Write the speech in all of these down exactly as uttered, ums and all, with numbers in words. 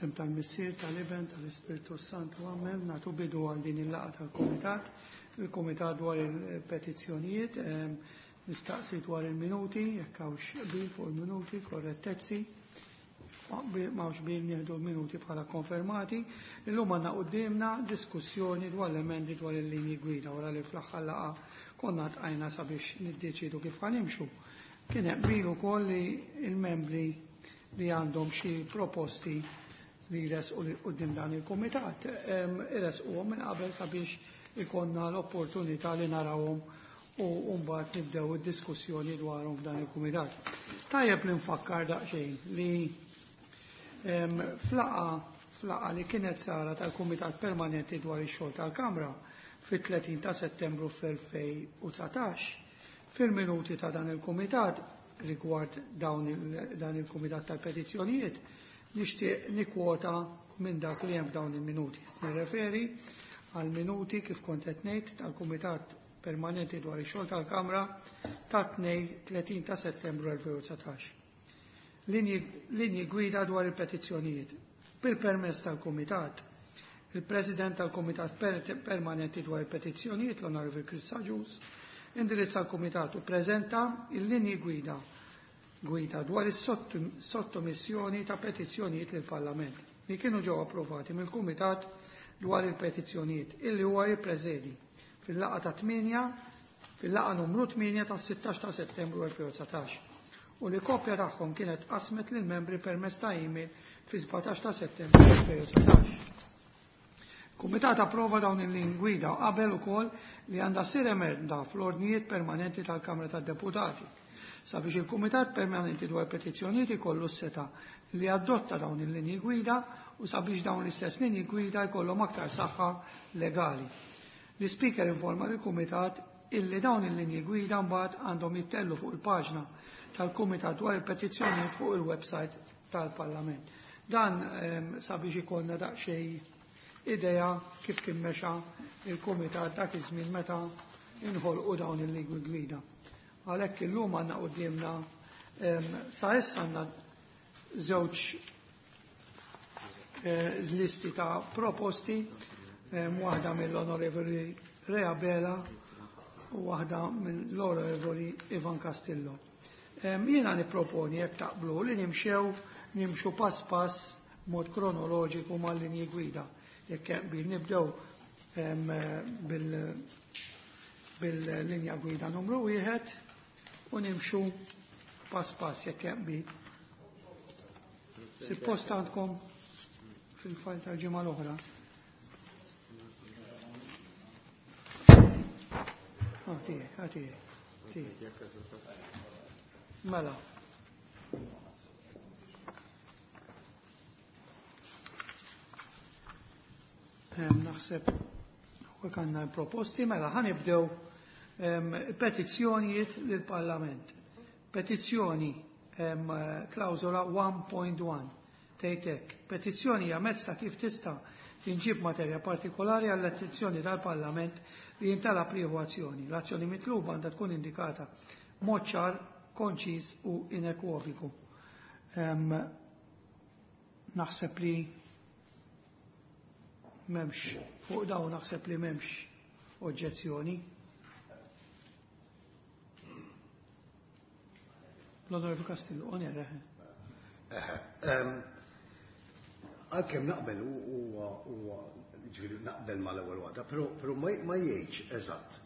F'isem tal-Missier, tal-Iben, tal-Ispirtu Santu, amen. Nagħtu bidu għal din il-laqgħa tal-Kumitat, il-Kumitat dwar il-petizzjonijiet, nistaqsi dwar il-minuti, jekk hawnx qbil fuq il-minuti, korrettezzi. M'hawnx qbil, nieħdu l-minuti bħala konfermati. Illum għandna quddiemna diskussjoni dwar l-emendi dwar il-linji gwida wara li fl-aħħar laqgħa konna tqajna sabiex niddeċidu kif ħanimxu. Kien hemm qbil ukoll li l-membri li għandhom xi proposti li jresqu quddiem dan il-kumitat, irresquhom minn qabel sabiex ikonna l-opportunità li narawhom u mbagħad nibdew id-diskussjoni dwarhom f'dan il-kumitat. Tajjeb li nfakkar daqsxejn li flaqa flaqa li kienet sara tal-Kumitat Permanenti dwar ix-xogħol tal-Kamra fit-tletin ta' Settembru fl-elfejn u dsatax, fil-minuti ta' dan il-Kumitat rigward dawn il, dan il-Kumitat tal-Petizzjonijiet, nixtieq nikkwota minn dak li hemm f'dawn il-minuti. Nirreferi għal minuti kif kont qed ngħid tal-Kumitat Permanenti dwar ix-xogħol tal-Kamra ta' tnejn tletin ta' Settembru elfejn u dsatax. Linji, linji gwida dwar il-petizzjonijiet. Bil-permess tal-Kumitat, il-President tal-Kumitat Permanenti dwar il-Petizzjonijiet, l-Onorevoli Chris Agius, indirizza l-Kumitat u preżenta il-linji gwida gwida dwar is-sottomissjoni ta' petizzjonijiet lill-Parlament li kienu ġew approvati mill-Kumitat dwar il-petizzjonijiet illi huwa jippreżedi fil-laqgħa ta' tmienja, fil-laqgħa numru tmienja tas-sittax ta' Settembru elfejn u dsatax u li kopja tagħhom kienet qasmet lill-membri permezz ta' email fi sbatax ta' Settembru elfejn u dsatax. Kumitat approva dawn il-linji gwida u qabel ukoll li għandha ssir emenda fl-ordnijiet permanenti tal-Kamra tad-Deputati sabiex il-Kumitat Permanenti dwar Petizzjonijiet ikollu s-seta li adotta dawn il-linji gwida u sabiex dawn l-istess linji gwida jkollhom aktar saħħa legali. L-Ispeaker informa lill-Kumitat illi dawn il-linji gwida mbagħad għandhom jittellu fuq il-paġna tal-Kumitat dwar il-Petizzjonijiet fuq il-website tal-Parlament. Dan, ehm, sabiex ikollna daqsxejn idea kif kien mexa il-Kumitat dak iż-żmien meta inħolqu dawn il-linji gwida. Għalhekk illum għandna quddiemna, ehm, sa issa għandna żewġ, eh, listi ta' proposti, ehm, waħda mill-Onorevoli Rea Bela u waħda mill-Onorevoli Ivan Castillo. Ehm, jiena nipproponi jekk taqblu li nimxew nimxu pass pass mod kronoloġiku mal-linji gwida. Jekk hemm qbil nibdew, ehm, bil-, bil-linja gwida numru wieħed u nimxu pass pass jekk hemm qbil. Suppost għandkom fil-fajl tal-ġimgħa l-oħra. Ah, tiegħek, ah, tiegħek, tiegħek. Mela. Ehm, naħseb u għandna proposti, mela ħanibdew, ehm, petizzjonijiet lill-Parlament. Petizzjoni, ehm, klawżola one point one tgħid hekk. Petizzjoni hija mezz ta' kif tista' tinġib materja partikolari għall-attenzjoni tal-Parlament li jintalab li jieħu azzjoni. L-azzjoni mitluba għandha tkun indikata mod ċar, konċiż u inekwofiku. Ehm, naħseb li m'hemmx fuq dawn, naħseb li m'hemmx oġġezzjoni. L-Onorevoli Castillo, onere. Eħe, għalkemm naqbel huwa, huwa, ġifieri naqbel mal-ewwel waħda, però, però ma, ma jgħidx eżatt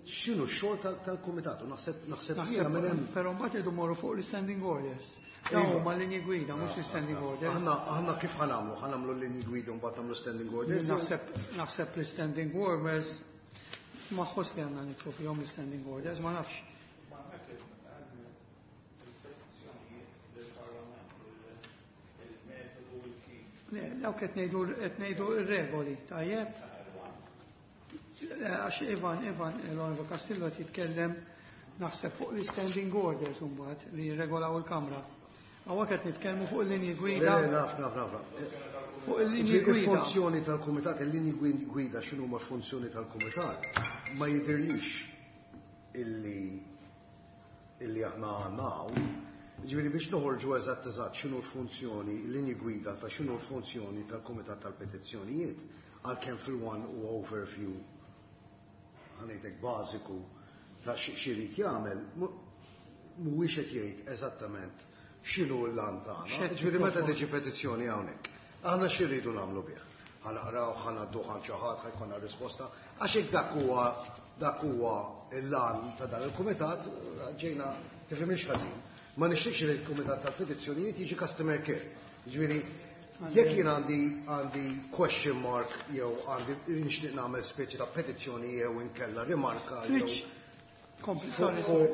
x'inhu x-xogħol tal-, tal-kumitat u naħseb, naħseb Naħseb jiena minn hemm. Però mbagħad idu morru fuq l-standing orders. Dawn Iva. huma l-linji gwida, mhux l-standing orders. Aħna, aħna kif ħanamlu? Ħanamlu l-linji gwida u mbagħad nagħmlu standing orders? Naħseb, naħseb l-standing orders ma ħoss li għandna nitfu fihom l-standing orders, ma nafx. Le, dawk qed ngħidu, qed ngħidu r-regoli, tajjeb? Għax Ivan, Ivan, l-Onorevoli Castillo qed jitkellem naħseb fuq l-standing orders imbagħad li jirregolaw il-Kamra. Hawnhekk qed nitkellmu fuq il-linji gwida. Le, le, naf, naf, naf, naf. Fuq il-linji Ġifieri gwida. Il-funzjoni tal-Kumitat, il-linji gwin-, gwida x'inhu huma l-funzjoni tal-Kumitat, ma jidhirlix illi, illi aħna għandna hawn. Ġifieri biex noħorġu eżatt eżatt x'inhu l-funzjoni, l-linji gwida ta' x'inhu l-funzjoni tal-Kumitat tal-Petizzjonijiet, għalkemm fil-one u overview ħa ngħidlek bażiku ta' x'irid jagħmel, mhuwiex qed jgħid eżattament x'inhu l-għan tagħna. Ġifieri meta tiġi petizzjoni hawnhekk, aħna x'irridu nagħmlu bih? Ħa naqraw, ħa ngħaddu ħa xi ħadd, ħa jkollna risposta, għax hekk dak huwa dak huwa l-għan ta' dan il-kumitat, ġejna tifhimx ħażin. Ma nixtieqx li l-Kumitat tal-Petizzjonijiet jiġi customer care. Ġifieri, jekk jien għandi għandi question mark jew għandi nixtieq nagħmel speċi ta' petizzjoni jew inkella rimarka jew Kompli, sorry, sorry.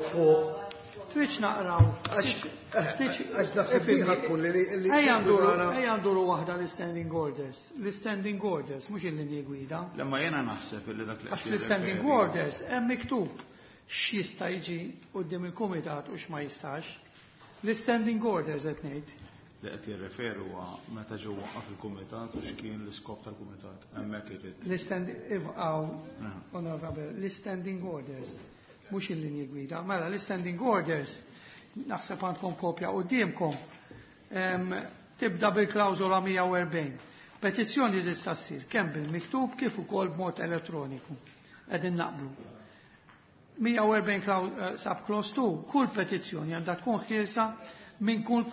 Tridx naqraw. Għax naħseb li tkun li li Ejja nduru ejja nduru waħda l-standing orders. L-standing orders, mhux il-linji gwida. Lemma jena naħseb li dak li Għax fl-standing orders hemm miktub x'jista' jiġi quddiem il-kumitat u x'ma jistax. L-standing orders qed ngħid. Li qed jirreferu huwa meta ġew waqqaf il-kumitat u x'kien l-iskop tal-kumitat. Hemmhekk irid. L-standing onorevole, l-standing orders mhux il-linji gwida. Mela l-standing orders naħseb għandkom kopja quddiemkom. Tibda bil-klawżola mija u erbgħin. Petizzjoni tista' ssir kemm bil-miktub kif ukoll b'mod elettroniku. Qegħdin naqblu. mija u erbgħin sub clause two, kull petizzjoni għandha tkun ħielsa minn kull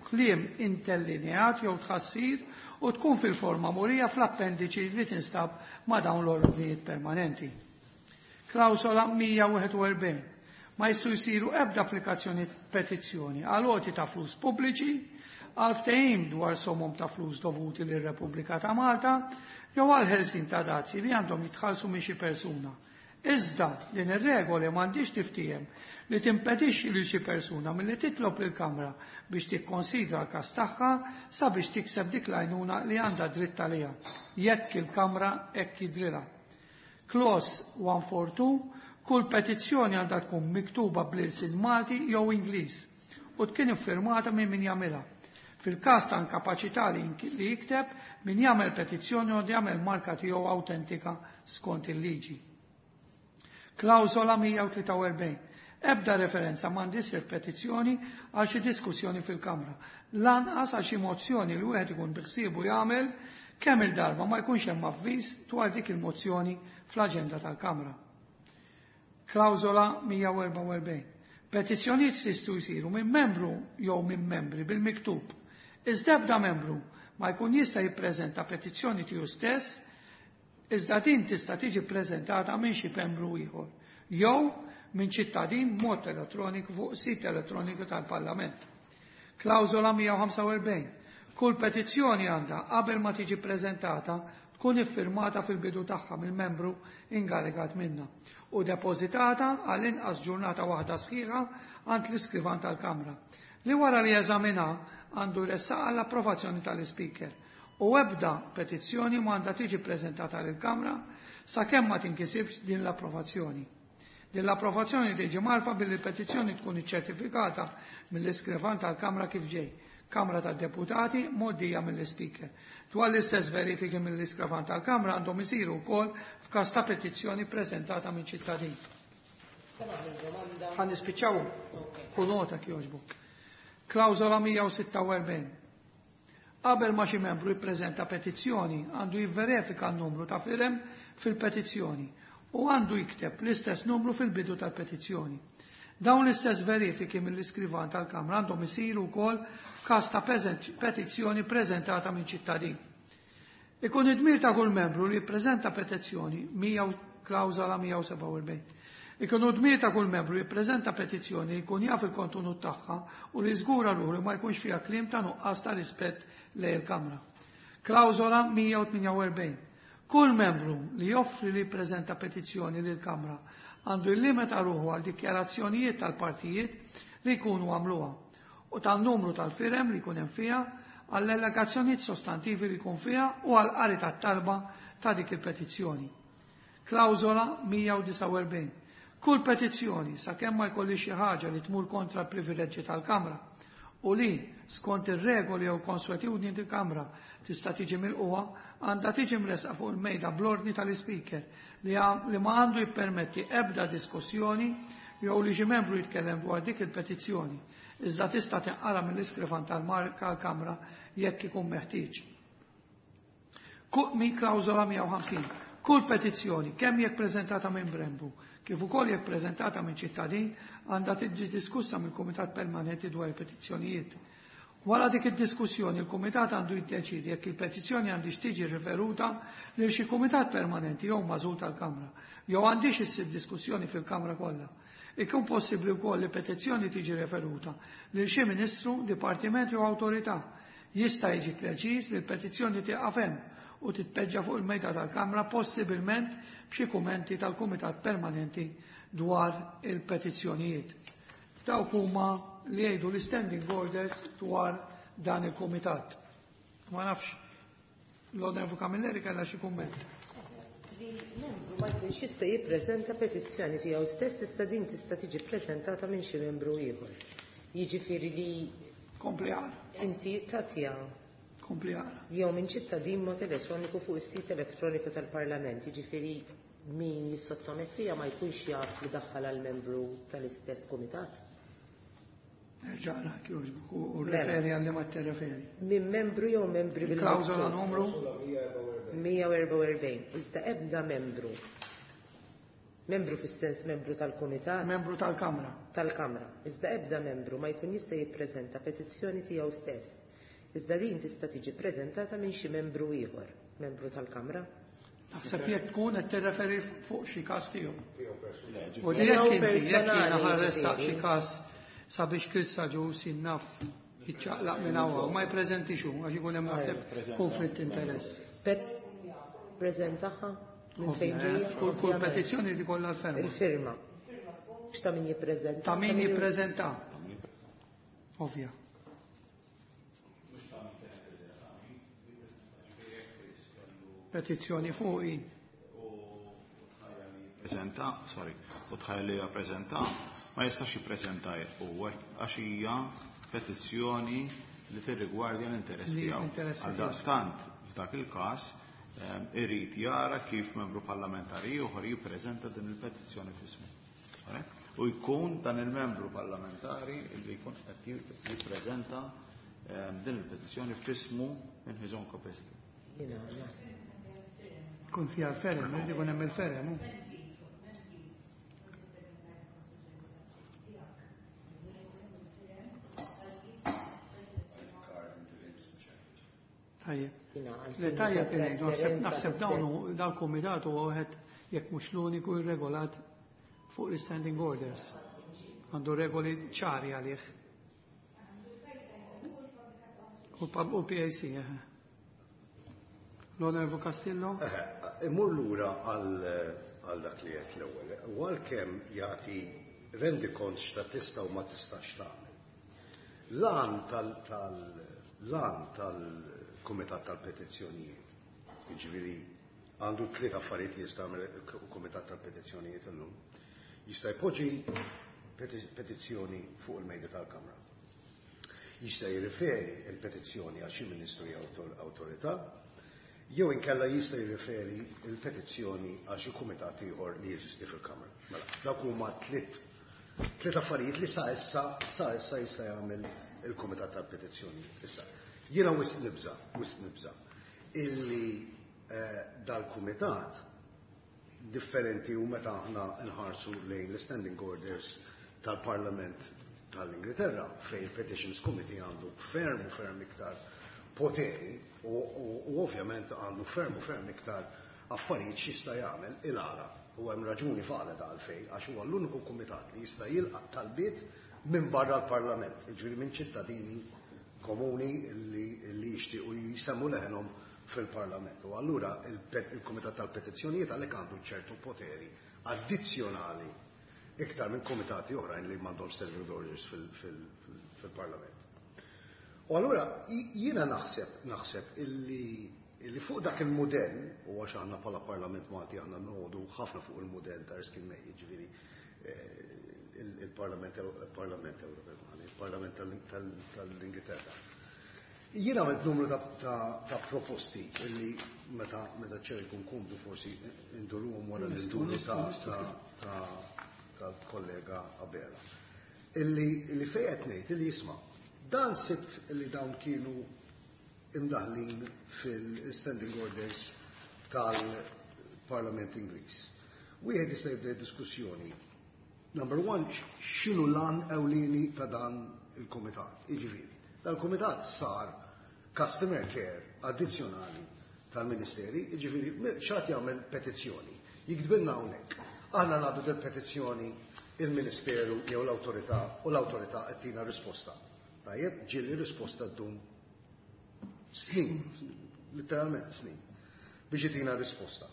kliem interlineat jew tħassir u tkun fil-forma murija fl-appendiċi li tinstab ma' dawn l-ordnijiet permanenti. Klawsola mija u wieħed u erbgħin. Ma jistgħu jsiru ebda applikazzjoni petizzjoni għal għoti ta' flus pubbliċi, għal ftehim dwar somom ta' flus dovuti lir-Repubblika ta' Malta jew għal ħelsin ta' dazzi li għandhom jitħallsu minn xi persuna. Iżda din ir-regoli m'għandix tiftiehem li timpedixxi lil xi persuna milli titlob lill-Kamra biex tikkonsidra l-każ tagħha sabiex tikseb dik l-għajnuna li għandha dritt għaliha, jekk il-Kamra hekk jidrilha. Clause mija u erbgħa u erbgħin, kull petizzjoni għandha tkun miktuba bl-ilsien Malti jew Ingliż u tkun iffirmata minn min jagħmilha. Fil-każ ta' inkapaċità li jikteb, min jagħmel petizzjoni għandu jagħmel marka tiegħu awtentika skont il-liġi. Klawsola mija u tlieta u erbgħin. Ebda referenza m'għandi ssir petizzjoni għal xi diskussjoni fil-Kamra. Lanqas għal xi mozzjoni li wieħed ikun biħsiebu jagħmel kemm il-darba ma jkunx hemm avviż dwar dik il-mozzjoni fl-aġenda tal-Kamra. Klawsola mija u erbgħa u erbgħin. Petizzjonijiet jistgħu jsiru minn membru jew minn membri bil-miktub. Iżda ebda membru ma jkun jista' jippreżenta petizzjoni tiegħu stess, iżda din tista' tiġi ppreżentata minn xi membru ieħor jew minn ċittadin b'mod elettroniku fuq sit elettroniku tal-Parlament. Klawsola mija u ħamsa u erbgħin. Kull petizzjoni għandha qabel ma tiġi ppreżentata tkun iffirmata fil-bidu tagħha mill-membru ingarigat minna u depożitata għal inqas ġurnata waħda sħiħa għand l-iskrivan tal-Kamra li wara li jeżamina għandu jressaq għall-approvazzjoni tal-Ispeaker u ebda petizzjoni ma għandha tiġi ppreżentata lill-Kamra sakemm ma tinkisibx din l-approvazzjoni. Din l-approvazzjoni tiġi mgħarrfa billi l-petizzjoni tkun iċċertifikata mill-iskrivan tal-Kamra kif ġej. Kamra tad-Deputati mgħoddija mill-Ispeaker. Dwar l-istess verifiki mill-iskrivan tal-Kamra għandhom isiru wkoll f'każ ta' petizzjoni ppreżentata minn ċittadin. Ħa nispiċċaw kull nota kjoġbuk. Klawżola mija u sitta u erbgħin. Qabel ma xi membru jippreżenta petizzjoni għandu jivverifika n-numru ta' firem fil-petizzjoni u għandu jikteb l-istess numru fil-bidu tal-petizzjoni. Dawn l-istess verifiki mill-iskrivan tal-Kamra għandhom isiru wkoll f'każ ta' petizzjoni preżentata minn ċittadin. Ikun id-dmir ta' kull membru li jippreżenta petizzjoni klawżola mija u sebgħa u erbgħin. Ikun dmir ta' kull membru jippreżenta petizzjoni li jkun jaf il-kontenut tagħha u li żgura ruħu li ma jkunx fiha kliem ta' nuqqas ta' rispett lejn il-Kamra. Klawżola mija u tmienja u erbgħin. Kull membru li joffri li jippreżenta petizzjoni lil Kamra għandu jillimita ruħu għal dikjarazzjonijiet tal-partijiet li jkunu għamluha u tan-numru tal-firem li jkun hemm fiha, għall allegazzjonijiet sostantivi li jkun fiha u għal qari tat-talba ta' dik il-petizzjoni. Klawżola mija u disgħa u erbgħin. Kull petizzjoni, sakemm ma jkollix xi ħaġa li tmur kontra l-privileġġi tal-Kamra u li skont ir-regoli jew konswetudni tal-Kamra tista' tiġi milquha, għandha tiġi mresqa fuq il-mejda bl-ordni tal-Ispeaker li, li ma għandu jippermetti ebda diskussjoni jew li xi membru jitkellem dwar dik il-petizzjoni, iżda tista' tinqara mill-iskrivan tal-Kamra jekk ikun meħtieġ. Min klawżola mija u ħamsin. Kull petizzjoni, kemm jekk preżentata minn membru, kif ukoll jekk preżentata minn ċittadin, għandha tiġi diskussa mill-Kumitat Permanenti dwar il-petizzjonijiet. Wara dik id-diskussjoni, il-Kumitat għandu jiddeċidi jekk il-petizzjoni għandix tiġi riferuta lil xi kumitat permanenti jew magħżul tal-Kamra, jew għandix issir diskussjoni fil-Kamra kollha. Ikun possibbli wkoll li petizzjoni tiġi referuta lil xi ministru, dipartiment jew awtorità. Jista' jiġi deċiż li l-petizzjoni tieqaf hemm u titpeġġa fuq il-mejda tal-Kamra, possibilment b'xi kumenti tal-Kumitat Permanenti dwar il-petizzjonijiet. Dawk huma li jgħidu l-standing orders dwar dan il-Kumitat. Ma nafx, l-Onorevoli Camilleri kellha xi kumment. Li membru ma jkunx jista' jippreżenta petizzjoni tiegħu stess, issa din tista' tiġi ppreżentata minn xi membru ieħor. Jiġifieri li Kompli għara. Inti tagħtiha. Kompli għara. Jew minn ċittadin mod elettroniku fuq is-sit elettroniku tal-Parlament, jiġifieri min jissottomettija ma jkunx jaf li daħħal għal membru tal-istess kumitat. Erġa' kjoġbuk u referi għalli ma t-referi. Minn membru jew membri bil Klawżola numru mija u erbgħa u erbgħin. Iżda ebda membru. Membru fis-sens membru tal-kumitat. Membru tal-Kamra. Tal-Kamra. Iżda ebda membru ma jkun jista' jippreżenta petizzjoni tiegħu stess. Iżda din tista' tiġi ppreżentata minn xi membru ieħor, membru tal-Kamra. Naħseb jekk tkun qed tirreferi fuq xi każ tiegħu. U Tiegħu jekk inti, jekk jiena personali, ħarressaq xi ġifieri. każ sabiex Chris Agius jinnaf jiċċaqlaq minn hawn, ma jippreżentix hu għax ikun hemm naħseb konflitt interess. Preżentaha minn fejn ġejja? Kull, kull petizzjoni li kollha l-ferma. Il-firma. X'ta' min jippreżenta? Ta' min jippreżenta. Ovvja. Petizzjoni fuqi. Prezenta, sorry, u tħajja li jippreżenta, ma jistax jippreżenta u għax hija petizzjoni li tirrigwardja l-interess Li tiegħu. l-interess tiegħu. Għaldaqstant, f'dak il-każ, ehm, irid jara kif membru parlamentari ieħor jippreżenta din il-petizzjoni f'ismu. U jkun dan il-membru parlamentari li jkun qed jippreżenta, ehm, din il-petizzjoni f'ismu in his own capacity. Jiena, naħseb. Kun fiha l-ferem, irid ikun hemm il-ferem, hu. Tajjeb. Le tajjeb ngħidu, naħseb, naħseb dawn hu, dal-kumitat huwa wieħed jekk mhux l-uniku irregolat fuq l-standing orders. Għandu regoli ċari għalih. U P A C, eh. L-Onorevoli Castillo? Eh, imur lura għal, għal dak li qed l-ewwel. U għalkemm jagħti rendikont x'ta tista' u ma tistax tagħmel. L-għan tal-, tal-, l-għan tal-Kumitat tal-Petizzjonijiet, jiġifieri għandu tliet affarijiet li jista' jagħmel il-Kumitat tal-Petizzjonijiet illum. Jista' jpoġġi peti-, petizzjoni fuq il-mejda tal-Kamra. Jista' jirriferi l-petizzjoni għal xi ministru jew autor-, awtorità, jew inkella jista' jirriferi l-petizzjoni għal xi kumitat ieħor li jeżisti fil-Kamra. Mela, dawk huma tliet, tliet affarijiet li sa issa, sa issa jista' jagħmel il-Kumitat tal-Petizzjonijiet. Issa, jiena wisq nibża', wisq nibża' illi, eh, dal-kumitat differenti u meta aħna nħarsu lejn l-standing orders tal-Parlament tal-Ingilterra fejn il-Petitions Committee għandu ferm u ferm iktar poteri u, u, u ovvjament għandu ferm u ferm iktar affarijiet x'jista' jagħmel il-għara. U hemm raġuni valida għalfejn, għax huwa l-uniku kumitat li jista' jilqa' talbiet minn barra l-Parlament, jiġifieri minn ċittadini komuni li, li jixtiequ jsemmu leħenhom fil-Parlament. U allura il-pe-, il-Kumitat tal-Petizzjonijiet għalhekk għandu ċertu poteri addizzjonali iktar minn kumitati oħrajn li m'għandhom standing orders fil-, fil-, fil-Parlament. U allura i-, jiena naħseb, naħseb illi, illi fuq dak il-mudell, u għax aħna bħala Parlament Malti aħna noqogħdu ħafna fuq il-mudell ta' Erskine May, jiġifieri, eh, il-, il-Parlament Ew-, il-Parlament Ewropew, il-Parlament tal-, tal-, tal-Ingilterra. Jiena għamilt numru ta', ta', ta' proposti illi meta, meta ċer ikun komdu forsi induruhom wara Nistgħu, l-induru nistgħu, ta', nistgħu. ta', ta', tal-kollega mal-kollega Abela. Illi illi fejn qed ngħid illi jisma' dan sibt li dawn kienu imdaħlin fil-standing orders tal-Parlament Ingliż. Wieħed jista' jibda diskussjoni. Number one, x'inhu l-għan ewlieni ta' dan il-komitat? Jiġifieri, dal-komitat sar customer care addizzjonali tal-Ministeri, jiġifieri xi ħadd jagħmel petizzjoni. Jiktbilna hawnhekk. Aħna nagħdu del petizzjoni il-Ministeru jew l-awtorità u l-awtorità qed tina risposta. Tajjeb, ġieli risposta ddum snin, literalment snin, biex itina risposta.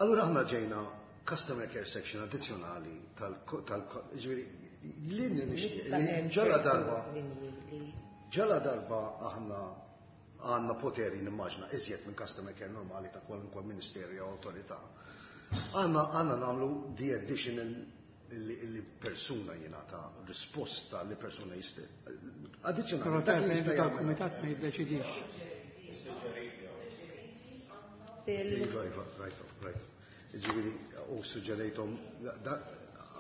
Allura aħna ġejna customer care section addizzjonali tal, tal ġifieri, li nixtieq Issa li hemm ġala ċertu darba linji li ġala darba aħna għandna poteri nimmaġna iżjed minn customer care normali ta' kwalunkwe ministerju jew awtorità. Għandna għandna nagħmlu the additional li, li persuna jingħata risposta li persuna jista' Però addizzjonali dak li tajb jista' jagħmel. tal-kumitat ma jiddeċidix. fil- Iva, iva, right, right. Ġifieri, u suġġerejthom da-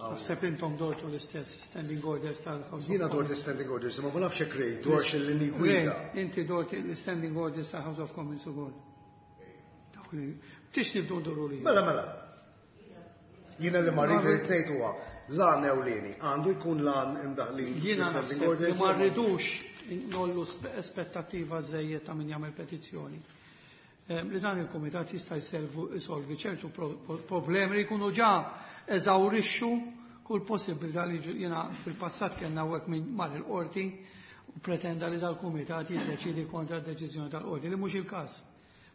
għaw- Naħseb intom dortu l-istess standing orders tal-House of Jiena dort Commons. standing orders, ma ma nafx hekk Ray, dwar il-linji gwida. Ray, inti dort l-standing orders tal-House of Commons ukoll. Dawk li- Tix nibdu nduru li. Mela, mela. Jiena li ma rrid irrid ngħid huwa l-għan ewlieni għandu jkun l-għan imdaħlin Jiena fl-standing naħseb li orders. ma rridux nollu spe- aspettattiva żejjed ta' min jagħmel petizzjoni. Em, Li dan il-kumitat jista' jselvu isolvi ċertu pro- pro- problemi li jkunu ġa eżawrixxu kull possibilità li ġu- jiena fil-passat kellna hawnhekk min mar il-qorti u pretenda li dal-kumitat jiddeċidi kontra d-deċiżjoni tal-qorti li mhux il-każ.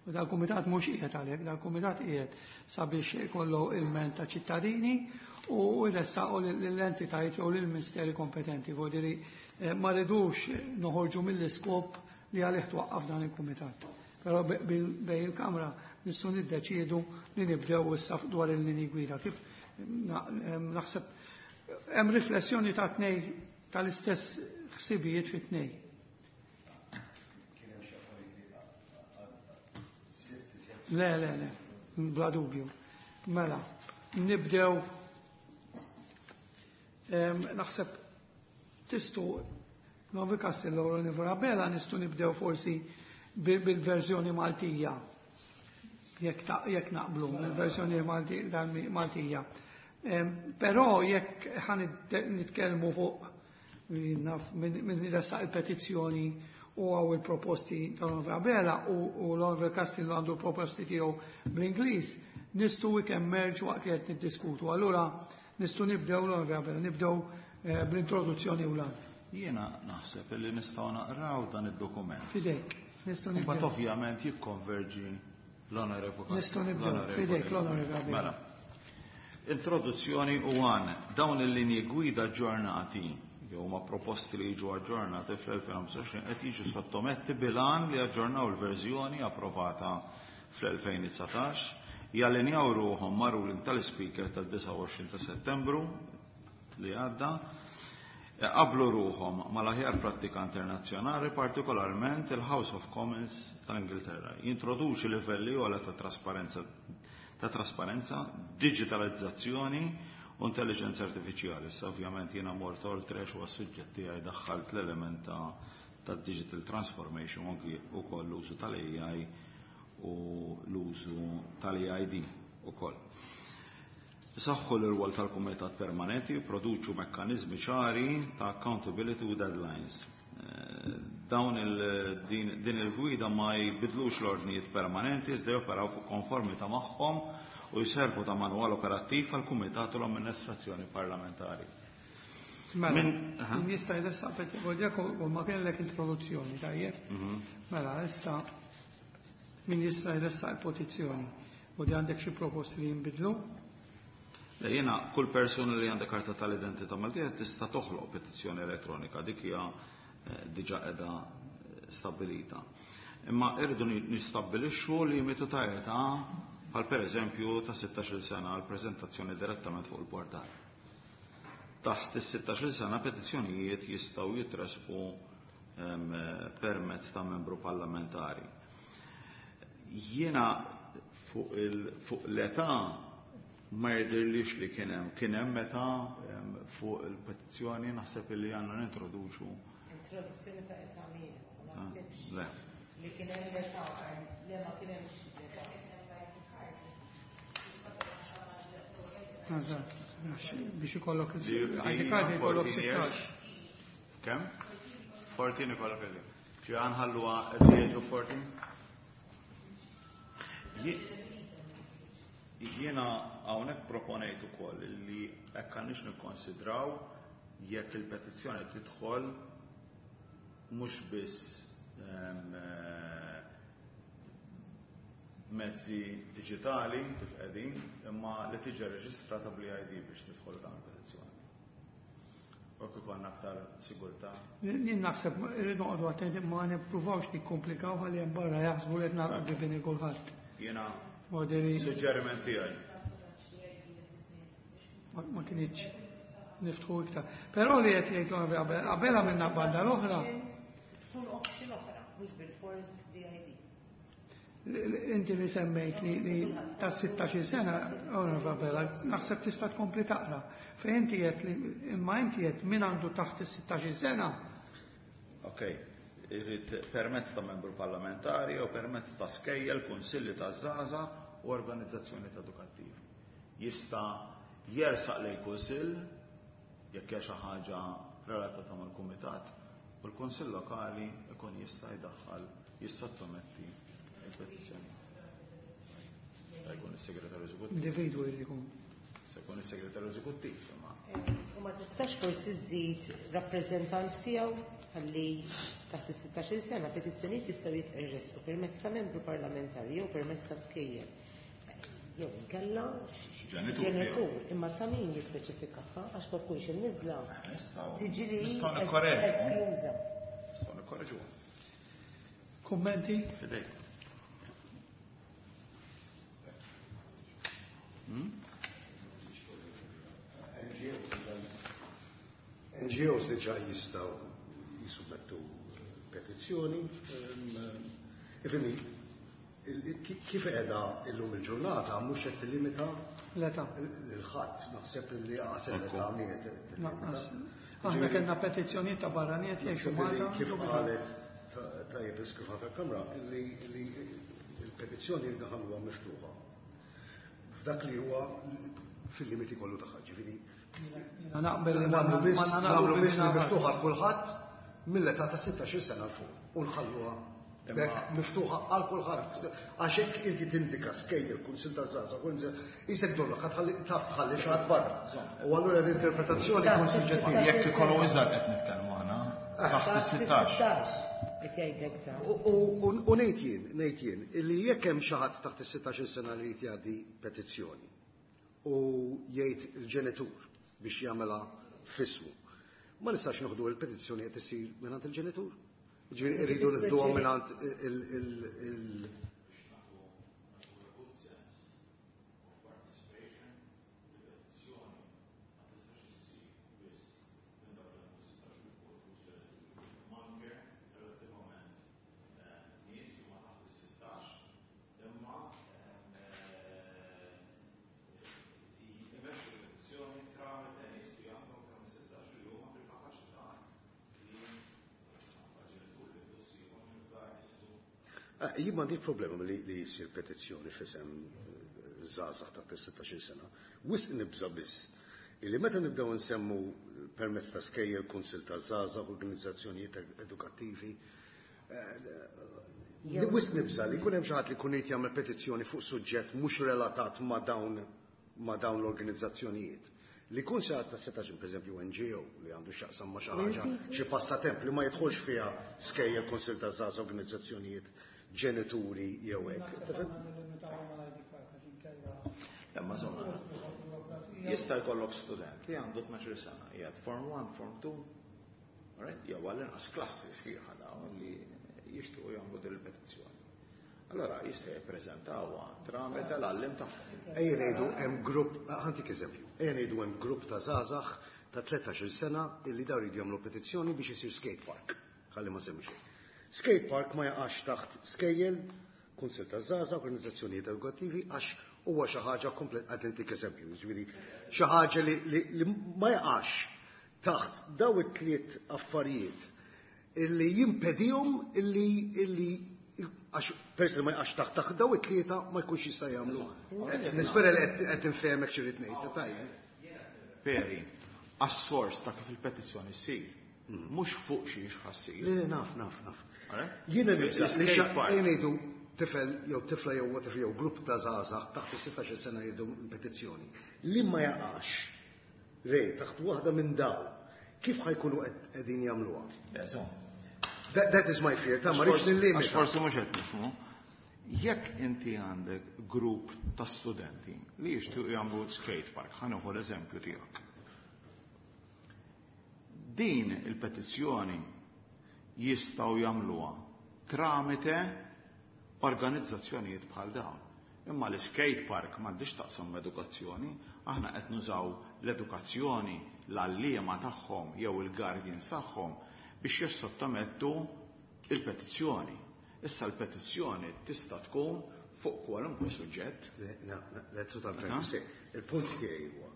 U dal-kumitat mhux qiegħed għalhekk, dal-kumitat qiegħed sabiex ikollu ilment ta' ċittadini u jressaqu lill-entitajiet jew lill-ministeri kompetenti. Vuol li eh, ma rridux noħorġu mill-iskop li għalih twaqqaf dan il-kumitat. Però be- bil- bejn il-Kamra nistgħu niddeċiedu li nibdew issa dwar il-linji gwida. Kif na- em, naħseb hemm riflessjoni ta' tnej tal-istess ħsibijiet fit tnej. Le, le, le, bla dubju. Mela, nibdew em, naħseb tistu Novi Castello u Nivra Bella nistgħu nibdew forsi bil- bil-verżjoni Maltija. Jekk ta- jekk naqblu il-verżjoni Malti- tal- Maltija. Em, Però jekk ħan nitkellmu fuq naf min min ressaq il-petizzjoni u għaw il-proposti tal-Onorevole Abela u, u l-Onorevole Castillo għandu l-proposti tiegħu bl-Ingliż, nistgħu we can merge waqt li qed niddiskutu. Allura nistgħu nibdew l-Onorevole Abela, nibdew eh, bl-introduzzjoni u l-għan. Jiena naħseb li nistgħu naqraw dan id-dokument. Fidejk, nistgħu Mbagħad nibdew. ovvjament jikkonverġi l-onorevoli. Nistgħu nibdew. Fidejk, l-Onorevoli Abela. Mela. Introduzzjoni u għan dawn il-linji gwida aġġornati jew huma proposti li jiġu aġġornati fl-elfejn u ħamsa u għoxrin qed jiġu sottometti bil-għan li aġġornaw il-verżjoni approvata fl-elfejn u dsatax, jallinjaw ruħhom ma' ruling tal-Speaker tad-disgħa u għoxrin ta' Settembru li għadda, qablu ruħhom mal-aħjar prattika internazzjonali, partikolarment il-House of Commons tal-Ingilterra. Jintroduċi livelli ogħla ta' trasparenza, ta' trasparenza, digitalizzazzjoni u intelligenza artifiċjali. Issa ovvjament jiena mort oltre u għas-suġġett tiegħi daħħalt l-element ta', ta' digital transformation u anki wkoll l-użu tal-A I u l-użu tal-A I D ukoll. Saħħu l-rwol tal-Kumitat Permanenti, produċu mekkanizmi ċari ta' accountability u deadlines. Eh, dawn il, din, din il-gwida ma jbidlux l-ordnijiet permanenti, iżda joperaw fuq konformità magħhom u jservu ta' manwal operattiv għal-Kumitat u l-Amministrazzjoni Parlamentari. Mela, Min- aha. min jista' jressaq petizzjoni, u ma kellek introduzzjoni, tajjeb? Mhm. Mela, issa min jista' jressaq petizzjoni u di għandek xi proposti li jinbidlu? Le, jiena kull persuna li għandha karta tal-identità Maltija tista' toħloq petizzjoni elettronika, dik hija, eh, diġà qiegħda, eh, stabbilita. Imma irridu ni-, nistabbilixxu limitu ta' età bħal pereżempju ta' sittax-il sena għal preżentazzjoni direttament fuq il-portal. Taħt is-sittax-il sena petizzjonijiet jistgħu jitresqu, ehm, permezz ta' membru parlamentari. Jiena fuq il-, fuq l-età Ma jidhirlix li kien hemm. Kien hemm meta fuq il-petizzjoni naħseb li għandna nintroduċu. Introduzzjoni ta' età minima, ma naħsibx. Le. Li kien hemm l-età, le ma kien hemmx l-età. Eżatt, biex ikollok I D card ikollok sittax. Kemm? fourteen ikollok I D. Ġi għanħalluha at the age of fourteen? Jiena hawnhekk proponejt ukoll li hekk għandniex nikkonsidraw jekk il-petizzjoni tidħol mhux biss mezzi diġitali kif qegħdin, imma li tiġi reġistrata bl-I D biex tidħol dan il-petizzjoni. U kif għandna aktar sigurtà. Jien naħseb irrid noqogħdu attenti ma nippruvawx nikkomplikaw ħalli hemm barra jaħsbu li qed nagħlqu bibien kulħadd. Jiena suġġeriment tiegħi. Ma kienx niftħu iktar. Però li qed jgħid l-Onorevoli Abela, Abela minna banda l-oħra. Tkun option oħra, mhux bil-fors D I D. Inti li semmejt li ta' sittax-il sena, Onorevoli Abela, naħseb tista' tkompli taqra. Fejn inti qed li imma inti qed min għandu taħt is-sittax-il sena. Ok, irrid permezz ta' membru parlamentari u permezz ta' skejjel, kunsilli ta' żgħażagħ u organizzazzjoni ta' edukattivi. Jista' jersaq lejn kunsill jekk hija xi ħaġa relatata mal-kumitat u l-kunsill lokali ikun jista' jdaħħal jissottometti il-petizzjoni. Ta' jkun is-segretarju eżekuttiv. Individwu jrid ikun. Se jkun is-segretarju eżekuttiv, imma. U ma tistax forsi żżid rappreżentant tiegħu ħalli taħt is-sittax-il sena petizzjonijiet jistgħu jitqerresqu permezz ta' membru parlamentari jew permezz ta' skejjel. Jew inkella Ġenitur, ġenitur, imma ta' min jispeċifikaha għax ma tkunx imniżla. Nistgħu Tiġi li nistgħu nikkoreġu. eskluża. Nistgħu nikkoreġu. Kummenti? Fidejk. Hmm? N G Os diġà jistgħu jisubmettu petizzjoni. Ifhimni, kif qiegħda illum il-ġurnata mhux qed tillimita l-età. Lil ħadd, naħseb li qas l-età min qed tillimita. Aħna kellna petizzjonijiet ta' barranijiet jgħixu Malta. Kif qalet tajjeb iskrifa tal-Kamra li l-petizzjoni daħluha miftuħa. F'dak li huwa fil-limiti kollu tagħha, ġifieri. Naqbel li Nagħmlu biss, ma nagħmlu nagħmlu biss li biss miftuħa għal kulħadd mill-età ta' sittax-il sena 'l fuq u nħalluha bekk miftuħa għal kulħadd. Għax hekk inti tindika skejjel, kunsill ta' żgħażagħ, kunsill isek dollok taf tħalli xi ħadd barra. U allura l-interpretazzjoni tkun suġġettiva. Jekk ikunu iżgħar qed nitkellmu aħna, taħt is-sittax. Qed jgħidlek ta'. U ngħid jien, ngħid jien, illi jekk hemm xi ħadd taħt is-sittax-il sena li jrid jgħaddi petizzjoni u jgħid il-ġenitur biex jagħmilha f'ismu. Ma nistax noħdu l-petizzjoni qed issir mingħand il-ġenitur? Ġifieri rridu nieħduha mingħand il- il- Jien m'għandix problema li li jsir petizzjoni f'isem żgħażagħ ta' sittax-il sena. Wisq nibża' biss illi meta nibdew nsemmu permezz ta' skejjel, kunsill ta' żgħażagħ, organizzazzjonijiet edukattivi, wisq nibża' li jkun hemm xi ħadd li jkun irid jagħmel petizzjoni fuq suġġett mhux relatat ma' dawn, ma' dawn l-organizzazzjonijiet. Li jkun xi ħadd ta' sittax, pereżempju N G O li għandu x'jaqsam ma' xi ħaġa, xi passatemp li ma jidħolx fiha skejjel, kunsill ta' żgħażagħ, organizzazzjonijiet, ġenituri jew hekk. Imma żomma, jista' jkollok student li għandu tnax-il sena, qiegħed form one, form two, right? Jew għall-inqas klassi sħiħa dawn li jixtiequ jagħmlu din il-petizzjoni. Allora jista' jippreżentawha tramite l-għallim tagħhom. Ejja ngħidu hemm grupp, ħantik eżempju, ejja ngħidu hemm grupp ta' żgħażagħ ta' tlettax-il sena illi dawn jridu jagħmlu petizzjoni biex isir skate park. Ħalli ma semmi xejn. Skate park ma jaqax taħt skejjel, kunsill ta' żgħażagħ, organizzazzjonijiet edukattivi, għax Huwa xi ħaġa komplet qed intik eżempju, jiġifieri xi ħaġa li, li, li ma jaqax taħt daw it-tliet affarijiet illi jimpedihom illi illi għax pers li ma jaqax taħt taħt daw it-tlieta ma jkunx jista' jagħmlu. Nispera li qed infehmek xi rid ngħid, tajjeb. Peri, għas-sors ta' kif il-petizzjoni ssir, mhux fuq xiex ħassir. Le, le, naf, naf, naf. Jiena nibża' li ngħidu tifel jew tifla jew whatever jew grupp ta' żgħażagħ taħt is-sittax-il sena jridu petizzjoni. Li ma jaqax rej taħt waħda minn daw, kif ħa jkunu qegħdin jagħmluha? That, that is my fear, ta' ma rridx nillimita. Għax forsi mhux qed nifhmu. Jekk inti għandek grupp ta' studenti li jixtiequ jagħmlu skate park, ħa nieħu l-eżempju tiegħek. Din il-petizzjoni jistgħu jagħmluha tramite organizzazzjonijiet bħal dawn. Imma l-skate park m'għandix taqsam edukazzjoni, aħna qed nużaw l-edukazzjoni l-għalliema tagħhom jew il-guardians tagħhom biex jissottomettu il-petizzjoni. Issa l-petizzjoni tista' tkun fuq kwalunkwe suġġett. That's what I'm trying to say. Il-punt tiegħi huwa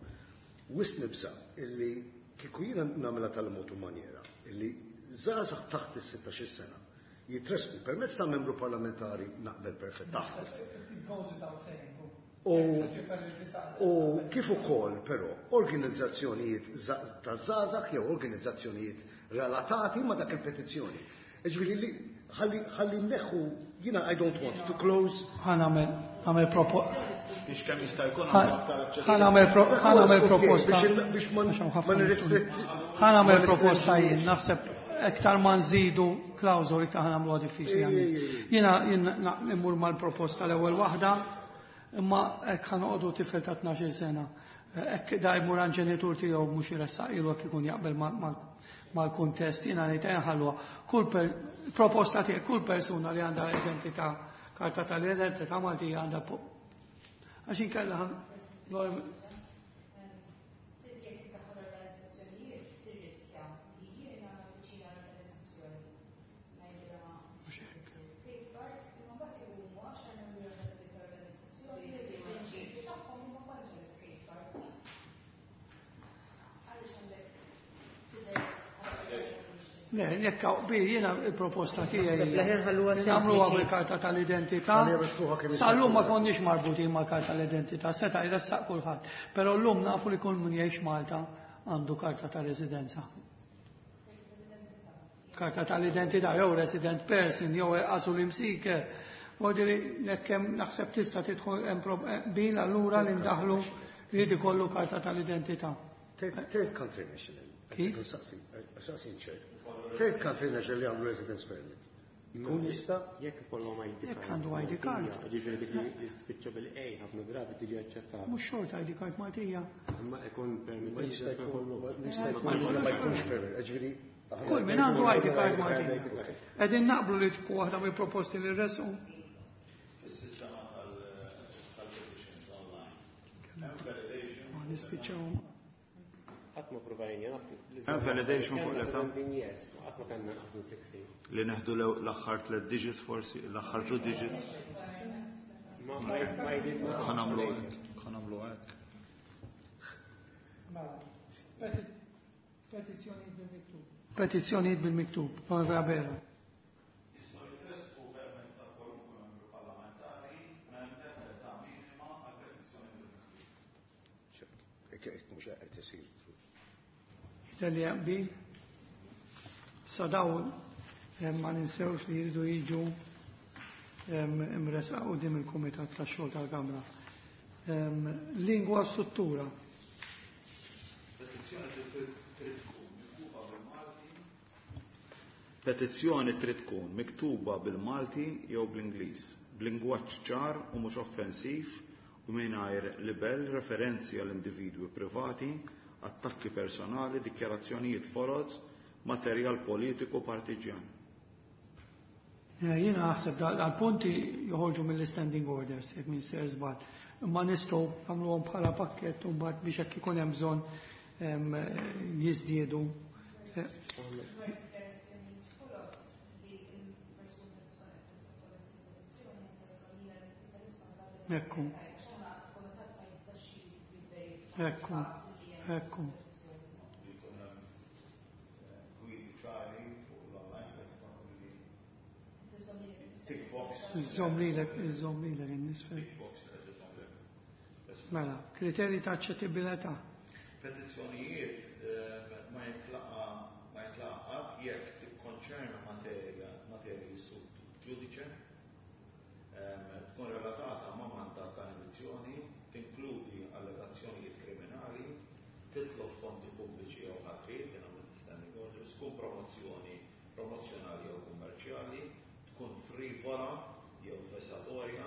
wisq nibża' illi kieku jiena nagħmilha tal-mod u maniera illi żgħażagħ taħt is-sittax-il sena jitresqu permezz ta' membru parlamentari naqbel perfettament. U, u kif ukoll però organizzazzjonijiet ta' żgħażagħ jew organizzazzjonijiet relatati ma' dak il-petizzjoni. Ġifieri li ħalli ħalli neħu jiena I don't want to close. Ħa nagħmel nagħmel propo Biex kemm jista' jkun aktar aċċess. Ħa nagħmel ħa nagħmel proposta biex ma nirrestretti. Ħa nagħmel proposta jien naħseb iktar ma nżidu klawżoli iktar ħa nagħmluha diffiċli għan-nies. Jiena jien immur mal-proposta l-ewwel waħda, imma hekk ħa noqogħdu tifel ta' tnax-il sena. Hekk da jmur għand ġenitur tiegħu mhux iressaq ilu hekk ikun jaqbel mal-kuntest, jiena ngħid ejja nħalluha. Kull proposta tiegħek, kull persuna li għandha identità, karta tal-identità Maltija għandha għax inkella Le, jekk bi jiena il-proposta tiegħi nagħmluha bil-karta tal-identità. Sal-lum ma konniex marbutin mal-karta tal-identità, seta' jressaq kulħadd. Però llum nafu li kull min jgħix Malta għandu karta ta' residenza. Karta tal-identità jew resident person jew asylum seeker. Vodiri jekk hemm naħseb tista' tidħol hemm bil allura li ndaħlu li jrid ikollu karta tal-identità. Third country national. Kif? Saqsin ċert. Third country national li għandu residence permit. Kun jista' jekk ikollhom I D card. Jekk għandu I D card. Ġifieri dik li spiċċa bil-A ħafna drabi tiġi aċċettata. Mhux xorta I D card Maltija. Imma ikun permit. Ma jista' jkun, jista' jkun, ma jkunx permit. Ġifieri kull min għandu I D card Maltija. Qegħdin naqblu li tkun waħda mill-proposti li rresqu. Is-sistema tal-petitions online. Hemm validation. Ma nispiċċaw. Qatt ma provajna naf. Hemm validation fuq l-età. seventeen years, qatt ma kellna naqas minn sixteen. Li neħdu l-aħħar tliet digits forsi, l-aħħar two digits. Ma ma jdid ma. Ħa nagħmlu hekk, ħa nagħmlu hekk. Mela, petizzjonijiet bil-miktub. Petizzjonijiet bil-miktub, Onorevole Abela. Jistgħu jitresqu permezz ta' kwalunkwe membru parlamentari m'hemm età minima għal petizzjoni bil-miktub. Hekk mhux qed isir. Tal-li jaqbil, sa dawn ma ninsewx li jridu jiġu imresqa quddiem il-Kumitat tax-Xogħol tal-Kamra. Lingwa struttura. Petizzjoni trid tkun miktuba bil-Malti jew bl-Ingliż, b'lingwaġġ ċar u mhux offensiv u mingħajr libell, referenzi għal individwi privati, attakki personali, dikjarazzjonijiet foroz, materjal politiku partiġjan. Jiena naħseb dal-punti joħorġu mill-standing orders, jekk min ser żball. Imma nistgħu nagħmluhom bħala pakkett u mbagħad biex hekk ikun hemm bżonn jiżdiedu. Ekku. Ekku, ekku. Iżżomm lilek, iżżomm lilek in-nisfel. Mela, kriterji ta' aċċettibilità. Petizzjonijiet ma jintlaqa ma jintlaqat jekk tikkonċerna materja materji sub ġudice, tkun relatata ma' mandat ta' inibizzjoni, tinkludi allegazzjonijiet kriminali, titlob fondi pubbliċi jew ħatri, din għamlet standing orders, tkun promozzjoni promozzjonali jew kummerċjali, tkun frivola jew vessatorja,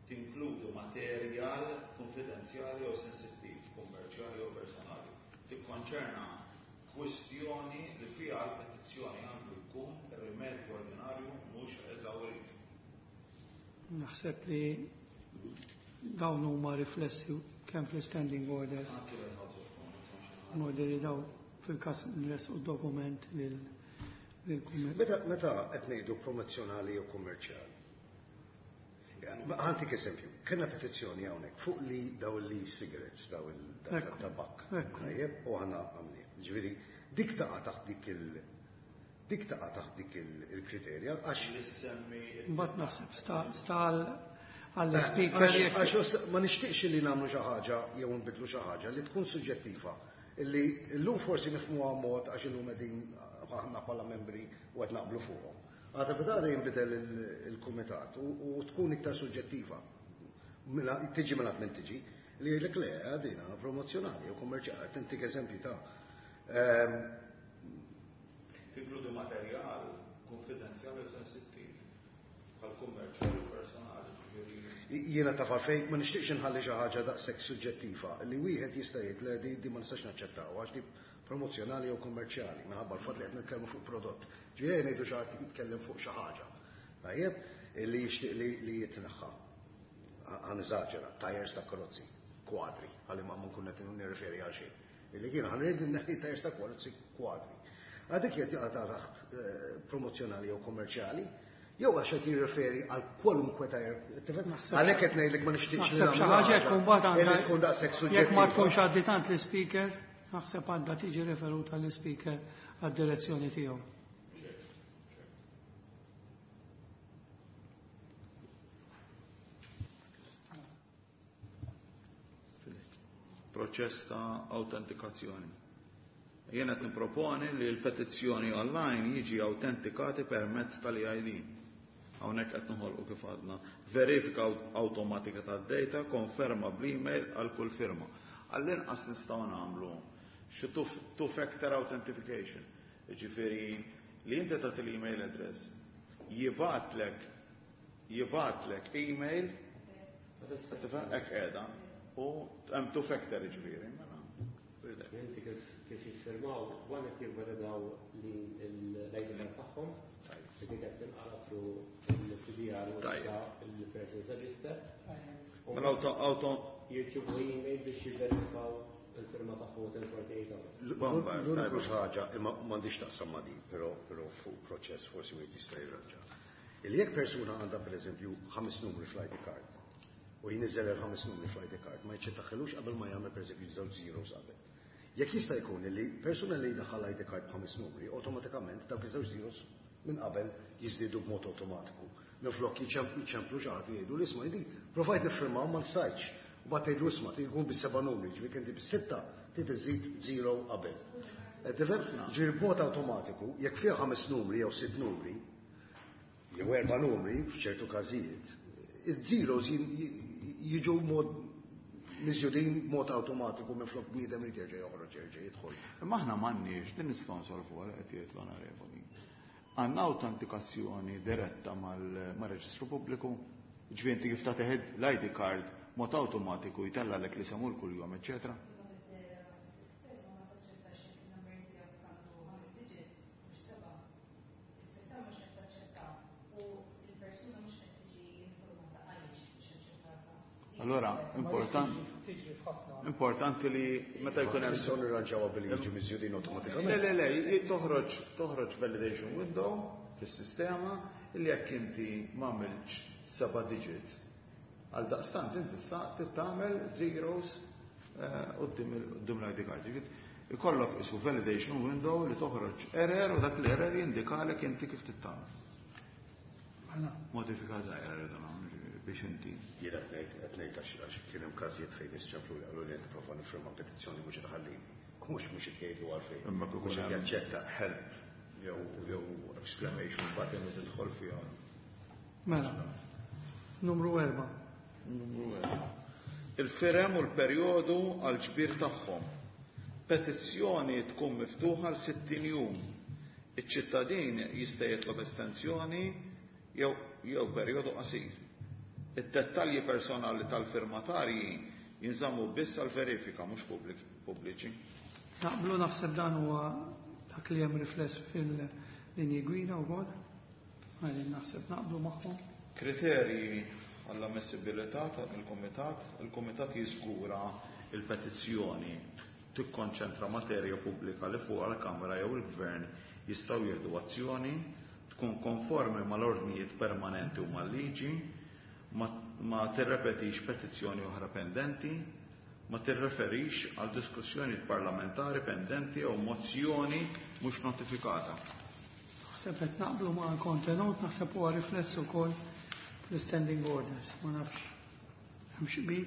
tinkludi materjal konfidenzjali jew sensittiv, kummerċjali jew personali. Tikkonċerna kwistjoni li fiha l-petizzjoni għandu jkun rimedju ordinarju mhux eżawrit. Naħseb li dawn huma riflessi kemm fl-standing orders. Anke l-House of Commons, Moderi li daw fil-każ nresqu dokument lil lill-kummerċ. Meta meta qed ngħidu promozzjonali jew kummerċjali. Ħantik eżempju, kellna petizzjoni hawnhekk fuq li daw il-cigarettes, daw il-tabak. Tajjeb, u aħna għamli. Ġifieri, dik taqa' taħt dik il dik taqa' taħt dik il-kriterja għax Mbagħad naħseb sta għall-speaker jekk għax ma nixtieqx li nagħmlu xi ħaġa jew nbidlu xi ħaġa li tkun suġġettiva illi llum forsi nifhmuha mod għax illum qegħdin aħna bħala membri u qed naqblu fuqhom. Għada bidgħada jinbidel il-kumitat u tkun iktar suġġettiva. Tiġi minn minn tiġi li jgħidlek le għadina promozzjonali jew kummerċjali, tintik eżempji ta' Tinkludi materjal konfidenzjali u sensittiv bħal kummerċjali u personali. Jiena taf għalfejn ma nixtieqx inħalli xi ħaġa daqshekk suġġettiva li wieħed jista' jgħid le di di ma nistax naċċettaw għax di promozzjonali jew kummerċjali minħabba l-fatt li qed nitkellmu fuq prodott. Ġifieri ngħidu xi ħadd jitkellem fuq xi ħaġa. Tajjeb, li jixtieq li jitneħħa. Ħa niżaġera, tajers ta' karozzi, kwadri, ħalli ma nkun qed nirriferi għal xejn. Illi kien ħa nrid nneħħi tajers ta' karozzi kwadri. Għadik qed jaqa' taħt promozzjonali jew kummerċjali, jew għax qed jirriferi għal kwalunkwe tajer. Għalhekk qed ngħidlek ma nixtieqx li xi ħaġa jekk imbagħad għandha tkun daqshekk suġġettiva. Jekk ma tkunx għaddi tant l-ispeaker, naħseb għandha tiġi referuta l-ispeaker għad-direzzjoni tiegħu. Proċess ta' autentikazzjoni. Jien qed nipproponi li l-petizzjoni online jiġi autentikati permezz tal-E I D. Hawnhekk qed noħolqu kif għadna verifika awtomatika tad-data, konferma bl-email għal kull firma. Għall-inqas nistgħu nagħmlu xi two-factor authentication. Jiġifieri li inti tagħti l-email address, jibgħatlek jibgħatlek email, tifhem hekk qiegħda, u hemm two-factor jiġifieri, mela. Inti kif jiffirmaw, one qed jivvalidaw li l-I D card tagħhom, dik qed tinqara through il-C D R u il-Persons Register. Mela auto, auto jirċievu email biex jivverifikaw il-firma tagħhom within forty-eight hours. L-uniku ħaġa imma m'għandix taqsam ma' din, però però fuq proċess forsi wieħed jista' jirranġa. Illi jekk persuna għandha pereżempju ħames numri fl-I D card u jniżel il-ħames numri fl-I D card, ma jċettaħħelux qabel ma jagħmel pereżempju żewġ zeros qabel. Jekk jista' jkun li persuna li jdaħħal I D card b'ħames numri, awtomatikament dawk iż-żewġ zeros minn qabel jiżdiedu b'mod awtomatiku. Minflok jiċemplu xi ħadd jgħidu li isma' jdi provajt niffirmaw ma nsajtx. U mbagħad tgħidu isma' jkun bis-seba' numri, ġifieri inti bis-sitta trid iżid zero qabel. Tifhem? Ġifieri b'mod awtomatiku, jekk fiha ħames numri jew sitt numri, jew erba' numri f'ċertu każijiet, il-zeros jiġu mod miżjudin b'mod awtomatiku minflok bniedem irid jerġa' joħroġ jerġa' jidħol. Imma aħna m'għandniex din nistgħu nsolvu għal qed jgħid l-onorevoli. Għandna autentikazzjoni diretta mal-reġistru pubbliku, ġifieri inti kif tagħti l-I D card mod awtomatiku jtellgħalek li semur kuljum, eċċetera. Allora, important, importanti li meta jkun hemm Nistgħu nirranġawha billi jiġu miżjudin awtomatikament. Le, le, le, toħroġ, toħroġ validation window fis-sistema li jekk inti m'għamilx seba' digits, għal daqstant inti tista' tagħmel zeros quddiem l-I D card. Ikollok isu validation window li toħroġ error u dak l-error jindikalek inti kif tittam. Modifika żgħira rridu nagħmlu biex inti. Jiena qed ngħid għax kien hemm każijiet fejn nies ċemplu li qalu li qed nipprova nifirma petizzjoni mhux qed iħallini. Mhux mhux qed jgħidu għalfejn. Imma kieku Mhux qed hemm jaċċetta help jew jew exclamation button li tidħol fiha. Mela. Numru erba'. Numru erba'. Il-firem u l-perjodu għal ġbir tagħhom. Petizzjoni tkun miftuħa għal sittin jum. Iċ-ċittadin jista' jitlob estensjoni jew, jew perjodu qasir. Id-dettalji personali tal-firmatarji jinżammu biss għal verifika mhux pubbliċi. Naqblu naħseb dan huwa dak li hemm rifless fil-linji gwida wkoll. Għalli naħseb naqblu magħhom. Kriterji għall-ammissibilità tal-Kumitat. Il-Kumitat jiżgura il-petizzjoni tikkonċentra materja pubblika li fuqha l-Kamra jew il-Gvern jistgħu jieħdu azzjoni, tkun konformi mal-ordnijiet permanenti u mal-liġi, ma, ma tirrepetix petizzjoni oħra pendenti, ma tirreferix għal diskussjoni parlamentari pendenti jew mozzjoni mhux notifikata. Naħseb qed naqblu ma' kontenut, naħseb huwa rifless ukoll fl-standing orders, ma nafx hemm xi qbil.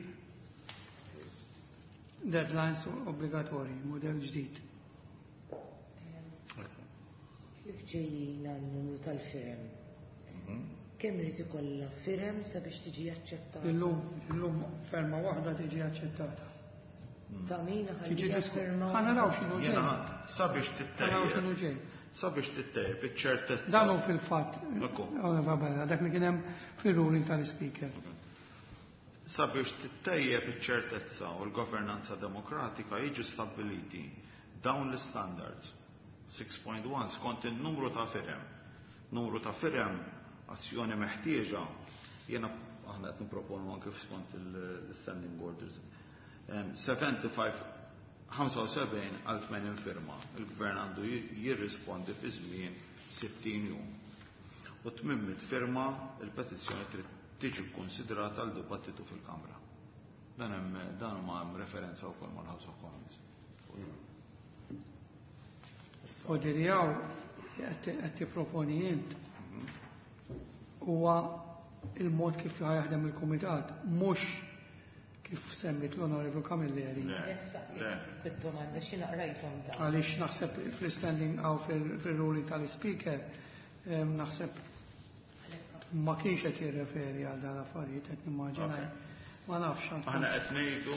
Deadlines obbligatorji, model ġdid. Kif ġejjin għal-numru tal-firem? Kemm irid ikollha firem sabiex tiġi aċċettata? Illum, illum ferma waħda tiġi aċċettata. Ta' min Tiġi ħallija disku- firma Ħa naraw x'inhu ġej. Jiena sabiex Ħa naraw x'inhu tittejjeb. ġej. Sabiex tittejjeb iċ-ċertezza. Dan hu fil-fatt. Ekku. Oh, vabbè, dak li kien hemm fil-ruling tal-speaker. Sabiex tittejjeb iċ-ċertezza u l-governanza demokratika jiġu stabbiliti dawn l-standards. six point one skont il-numru ta' firem. Numru ta' firem azzjoni meħtieġa jiena aħna qed nipproponu anke skont il-standing orders. Em, seventy-five, ħamsa u sebgħin għal tmenin firma. Il-gvern għandu ji-, jirrispondi fi żmien sittin jum. U tmien firma il-petizzjoni trid tiġi kkonsidrata għal dibattitu fil-Kamra. Dan hemm, dan huma hemm referenza wkoll mal-House of Commons. U dirjaw qed tipproponi int huwa il-mod kif jaħdem il-Kumitat, mhux kif semmit l-Onorevole Camilleri. Le, le. Fid-domanda xi naqrajthom dan. Għaliex naħseb fl-standing għaw fil-ruling tal-speaker, em, naħseb ma kienx qed jirreferi għal dan l-affarijiet qed nimmaġina. Ok. Ma nafx għandkom. Aħna qed ngħidu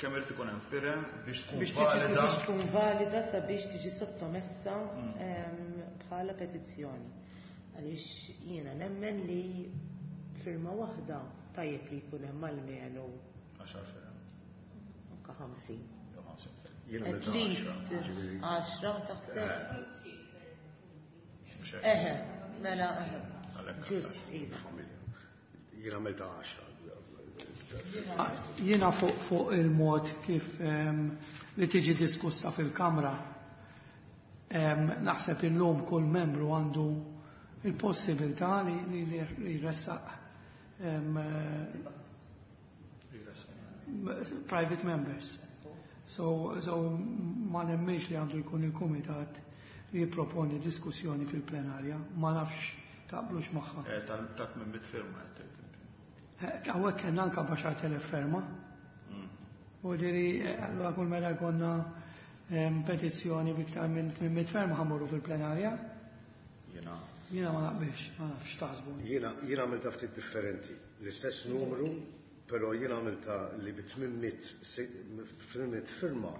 kemm irid ikun hemm firem biex tkun Biex tiġi valida. Biex tkun valida sabiex tiġi sottomessa, Mm. em, bħala petizzjoni. Għaliex jiena nemmen li firma waħda tajjeb li jkun hemm almenu Għaxar firem. anka ħamsin. Jew ħamsin firem. Jiena At meta least għaxra, ġifieri. għaxra taħseb? Mhux hekk. Eħe, mela, eħe. Għalhekk. Ġust, iva. Familja. Jiena għamilta għaxra. Ah, jiena fuq, fuq il-mod kif, em, li tiġi diskussa fil-Kamra, em, naħseb illum kull membru għandu il-possibilità li, li, li jressaq, em, private members. So, so ma nemminx li għandu jkun il-Kumitat li jipproponi diskussjoni fil-plenarja, ma nafx taqblux magħha. Eh, tal-, ta' tmien mitt firma qed tgħid inti. Eh, hawnhekk kellna anke għaxart elef ferma. Mm. U diri, eh, allura kull meta jkollna, ehm, petizzjoni b'iktar minn tmien mitt ferma ħammorru fil-plenarja. Jiena. Jiena ma naqbilx, ma nafx taħsbu. Jiena, jiena għamilta ftit differenti. L-istess numru, però jiena għamilta li bi tmien mitt se-, tmien mitt firma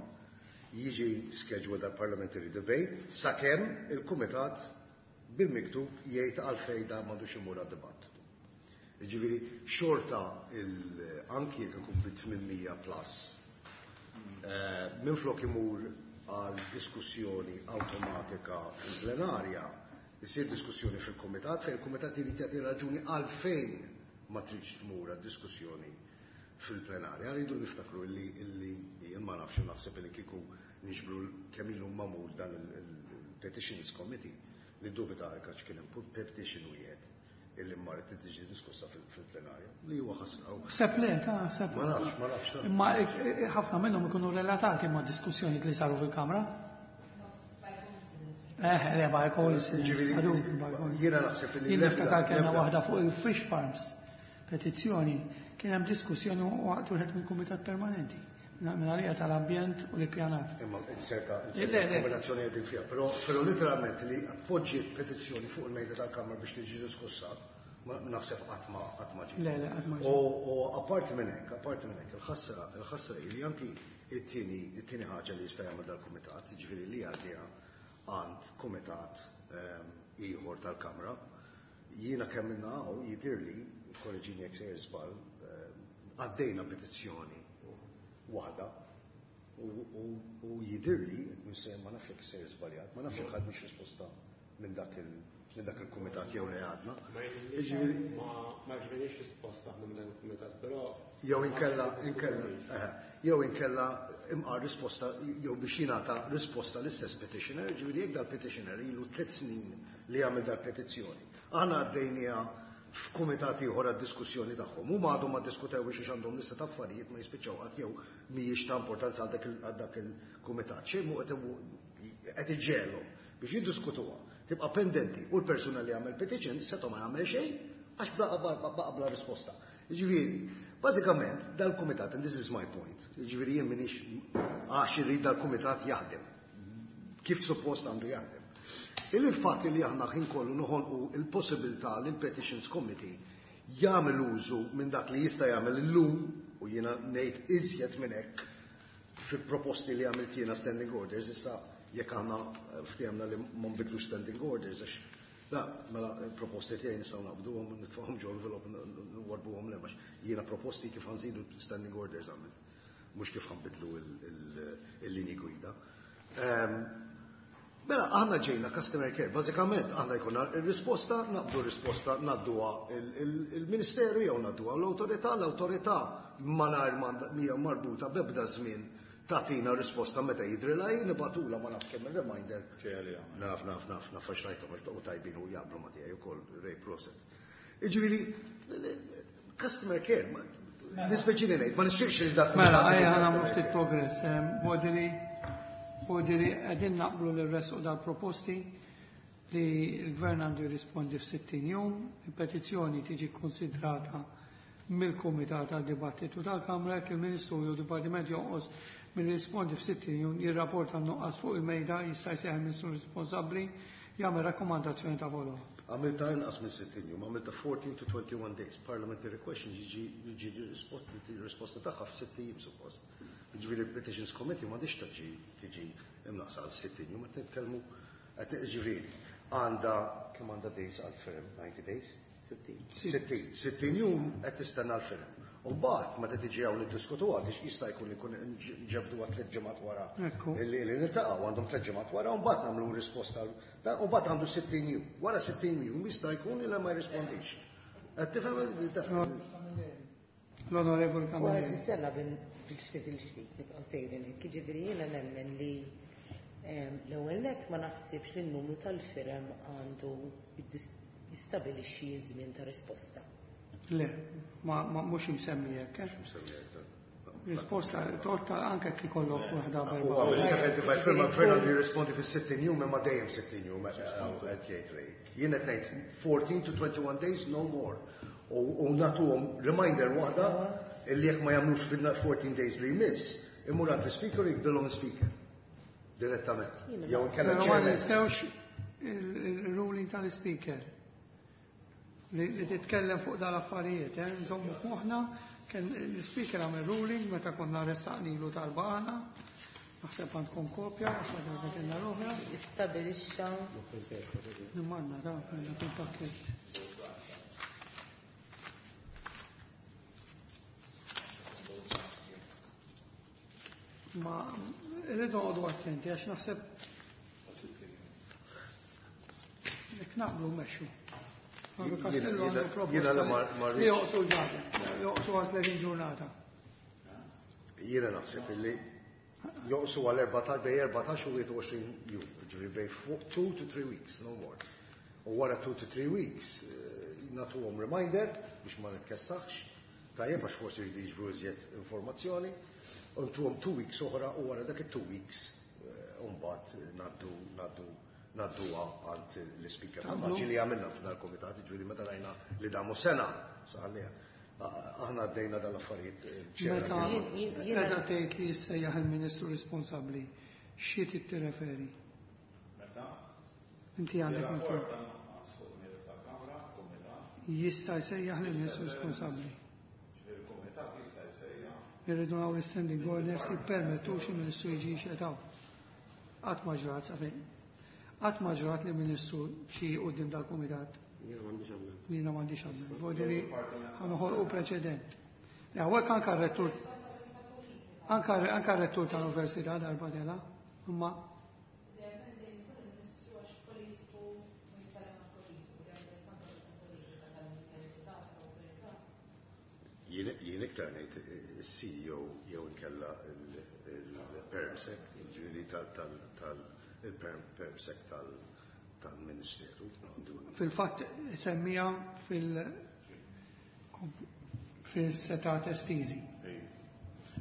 jiġi scheduled għal parliamentary debate sakemm il-Kumitat bil-miktub jgħid għalfejn da m'għandux imur għad-dibattitu. Jiġifieri xorta il-, anki jekk ikun bi tmien mija plus, eh, minflok imur għal diskussjoni awtomatika fil-plenarja, isir diskussjoni fil-Kumitat fejn il-Kumitat irid jagħti raġuni għalfejn ma tridx tmur għad diskussjoni fil-plenarja. Rridu niftakru illi, illi jien ma nafx, naħseb illi kieku niġbru kemm ilu magħmul dan il-, il-Petitions Committee, li dubita għax kien hemm petition wieħed illi marret tiġi diskussa fil-plenarja, li huwa ħasra. Sepp le, ta' sepp. Ma nafx, ma nafx. Imma ħafna minnhom ikunu relatati ma' diskussjoni li saru fil-Kamra. Eh, le, by coincidence. Jiena naħseb li. Jien niftakar kellna waħda fuq il-fish farms, petizzjoni, kien hemm diskussjoni waqt wieħed mill-Kumitat Permanenti, minn għalija tal-ambjent u l-ippjanar. Imma inserta kombinazzjoni qegħdin fiha, però literalment li poġġiet petizzjoni fuq il-mejda tal-Kamra biex tiġi diskussa, naħseb qatt ma qatt ma ġiet. Le, le, qatt ma ġiet. U apparti minn hekk, apparti minn hekk, il-ħasra, il-ħasra li anki it-tieni it-tieni ħaġa li jista' jagħmel dal-kumitat, jiġifieri li għaddieha għand kumitat ieħor tal-Kamra, jiena kemm minna hawn jidhirli, korreġini jekk sejjer żball, għaddejna petizzjoni waħda u jidhirli, ma nafx jekk sejjer żbaljat, ma nafx jekk ħadniex risposta minn dak il-kumitat jew li għadna. Ma ġbenix risposta minn dak il-kumitat, però jew inkella inkella jew inkella imqar risposta jew biex jingħata risposta l-istess petitioner, ġifieri jekk dal-petitioner ilu tliet snin li jagħmel dal-petizzjoni. Aħna għaddejniha f'kumitat ieħor għad-diskussjoni tagħhom. Huma għadhom ma ddiskutew biex għandhom lista ta' affarijiet ma jispiċċaw qatt jew mhijiex ta' importanza għal dak il-kumitat. Xejn mhu qed iġġegħelhom biex jiddiskutuha. Tibqa' pendenti u l-persuna li jagħmel petition setgħu ma jagħmel xejn għax baqa' bla risposta. Jiġifieri, bażikament dal-kumitat, and this is my point, jiġifieri jien m'iniex għax irrid dal-kumitat jaħdem kif suppost għandu jaħdem. Il-fatt li aħna ħin kollu noħolqu il-possibilità li l-Petitions Committee jagħmel użu minn dak li jista' jagħmel illum u jiena ngħid iżjed minn hekk fil-proposti li għamilt jiena standing orders, issa jekk aħna ftehemna li ma nbidlux standing orders għax da mela proposti tiegħi nistgħu naqbduhom u nitfgħuhom ġo envelope nwarbuhom le għax jiena proposti kif ħanżidu standing orders għamilt, mhux kif ħanbidlu il-linji gwida. Mela aħna ġejna customer care, bażikament aħna jkollna r-risposta, naqbdu r-risposta, ngħadduha il-Ministeru jew ngħadduha l-awtorità, l-awtorità malajr mija marbuta b'ebda żmien tagħtina risposta meta jidrilha hi, nibgħatulha ma nafx kemm il-reminder. Naf, naf, naf, naf għax rajthom għax u tajbin u jaqblu ma tiegħi wkoll Ray proset. Jiġifieri customer care, nispeċini ngħid, ma nixtieqx li dak. Mela, ejja nagħmlu ftit progress. Bodiri Podiri qegħdin naqblu li rresqu dal-proposti li l-Gvern għandu jirrispondi f'sittin jum, il-petizzjoni tiġi konsidrata mill-Kumitat għal dibattitu tal-Kamra, jekk il-Ministru jew Dipartiment jonqos mill-rispondi f'sittin jum jirrapporta n-nuqqas fuq il-mejda, jista' jsejjaħ il-Ministru responsabbli jagħmel rakkomandazzjoni ta' follow-up. Għamilta inqas minn sittin jum, għamilta fourteen to twenty-one days. Parliamentary questions jiġi jiġi risposta tagħha f'sittin jum suppost. Jiġifieri Petitions Committee m'għandix tiġi tiġi imnaqsa għal sittin jum, qed nitkellmu qed jiġifieri għandha kemm għandha days għal firm, ninety days? Sittin. Sittin. Sittin jum qed tistenna l-firm. U mbagħad meta tiġi hawn niddiskutuha għaliex jista' jkun li jkun ġebduha tliet ġimgħat wara Ekku. li niltaqgħu għandhom tliet ġimgħat wara u mbagħad nagħmlu risposta u mbagħad għandu sittin jum. Wara sittin jum jista' jkun li ma jirrispondix. Qed tifhem? L-Onorevoli Camilleri. Kważi sena bil-ġdid il-ġdid nibqgħu sejrin hekk. Jiġifieri jiena nemmen li l-ewwel nett ma naħsibx li n-numru tal-firem għandu jistabilixxi ż-żmien ta' risposta. Le, ma mhux imsemmi hekk. Mhux imsemmi hekk. Risposta totta anke kif ikollok waħda berba. U seventy-five firma gvern għandu jirrispondi fis-sittin jum imma dejjem sittin jum qed jgħid Ray. Jien qed ngħid fourteen to twenty-one days no more. U nagħtuhom reminder waħda illi jekk ma jagħmlux fil fourteen days li jmiss, imur għand l-speaker u jibdilhom speaker direttament. Jew inkella Però ma ninsewx il-ruling tal-speaker li titkellem fuq dal-affarijiet, eh? Nżommu f'moħħna kien l-speaker għamel ruling meta konna ressaqnilu tal-baħna, naħseb għandkom kopja, għax darba kellna l-oħra. Istabilixxa. Nimmanna da, kellna fil-pakkett. Ma rridu noqogħdu attenti għax naħseb jekk naqblu mmexxu. Għandu Castello għandu proposta li joqsu l-data, joqsu għal tletin ġurnata. Jiena naħseb illi joqsu għal erbatax, bej erbatax u wieħed u għoxrin jum, ġifieri bej two to three weeks, no more. U wara two to three weeks, nagħtuhom reminder biex ma nitkessaħx, tajjeb għax forsi jridu jiġbru iżjed informazzjoni, u ntuhom two weeks oħra u wara dak it-two weeks u mbagħad ngħaddu ngħaddu ngħadduha għand l-ispeaker. Tagħmlu? Li għamilna f'dal-komitat, ġifieri meta rajna li damu sena, saħalliha. Aħna għaddejna dal-affarijiet ċera. Meta Jien- jien- jiena- meta tgħid li jissejjaħ il-Ministru responsabbli, xi trid tirreferi? Meta? Inti għandek Jirrapporta mill-kor. nuqqas fuq il-miri tal-Kamra, kumitat. Jista' jsejjaħ lill-Ministru responsabbli. Ġifieri il-kumitat jista' jsejjaħ. Irridu nagħmlu standing orders jippermettux il-Ministru jiġi xetaw. Qatt ma ġrat sa fejn. Qatt ma ġrat li Ministru xi quddiem dal-kumitat. Jiena m'għandix għamel. Jiena m'għandix għamel. Voldiri ħa noħolqu preċedent. Le, hawnhekk anke r-rettur anke anke r-rettur tal-Università darba tela, imma Jien jien iktar ngħid is-C E O jew inkella il-PermSec, ġifieri tal-il-PermSec tal-Ministeru. Fil-fatt semmija fil- fil-setat estiżi.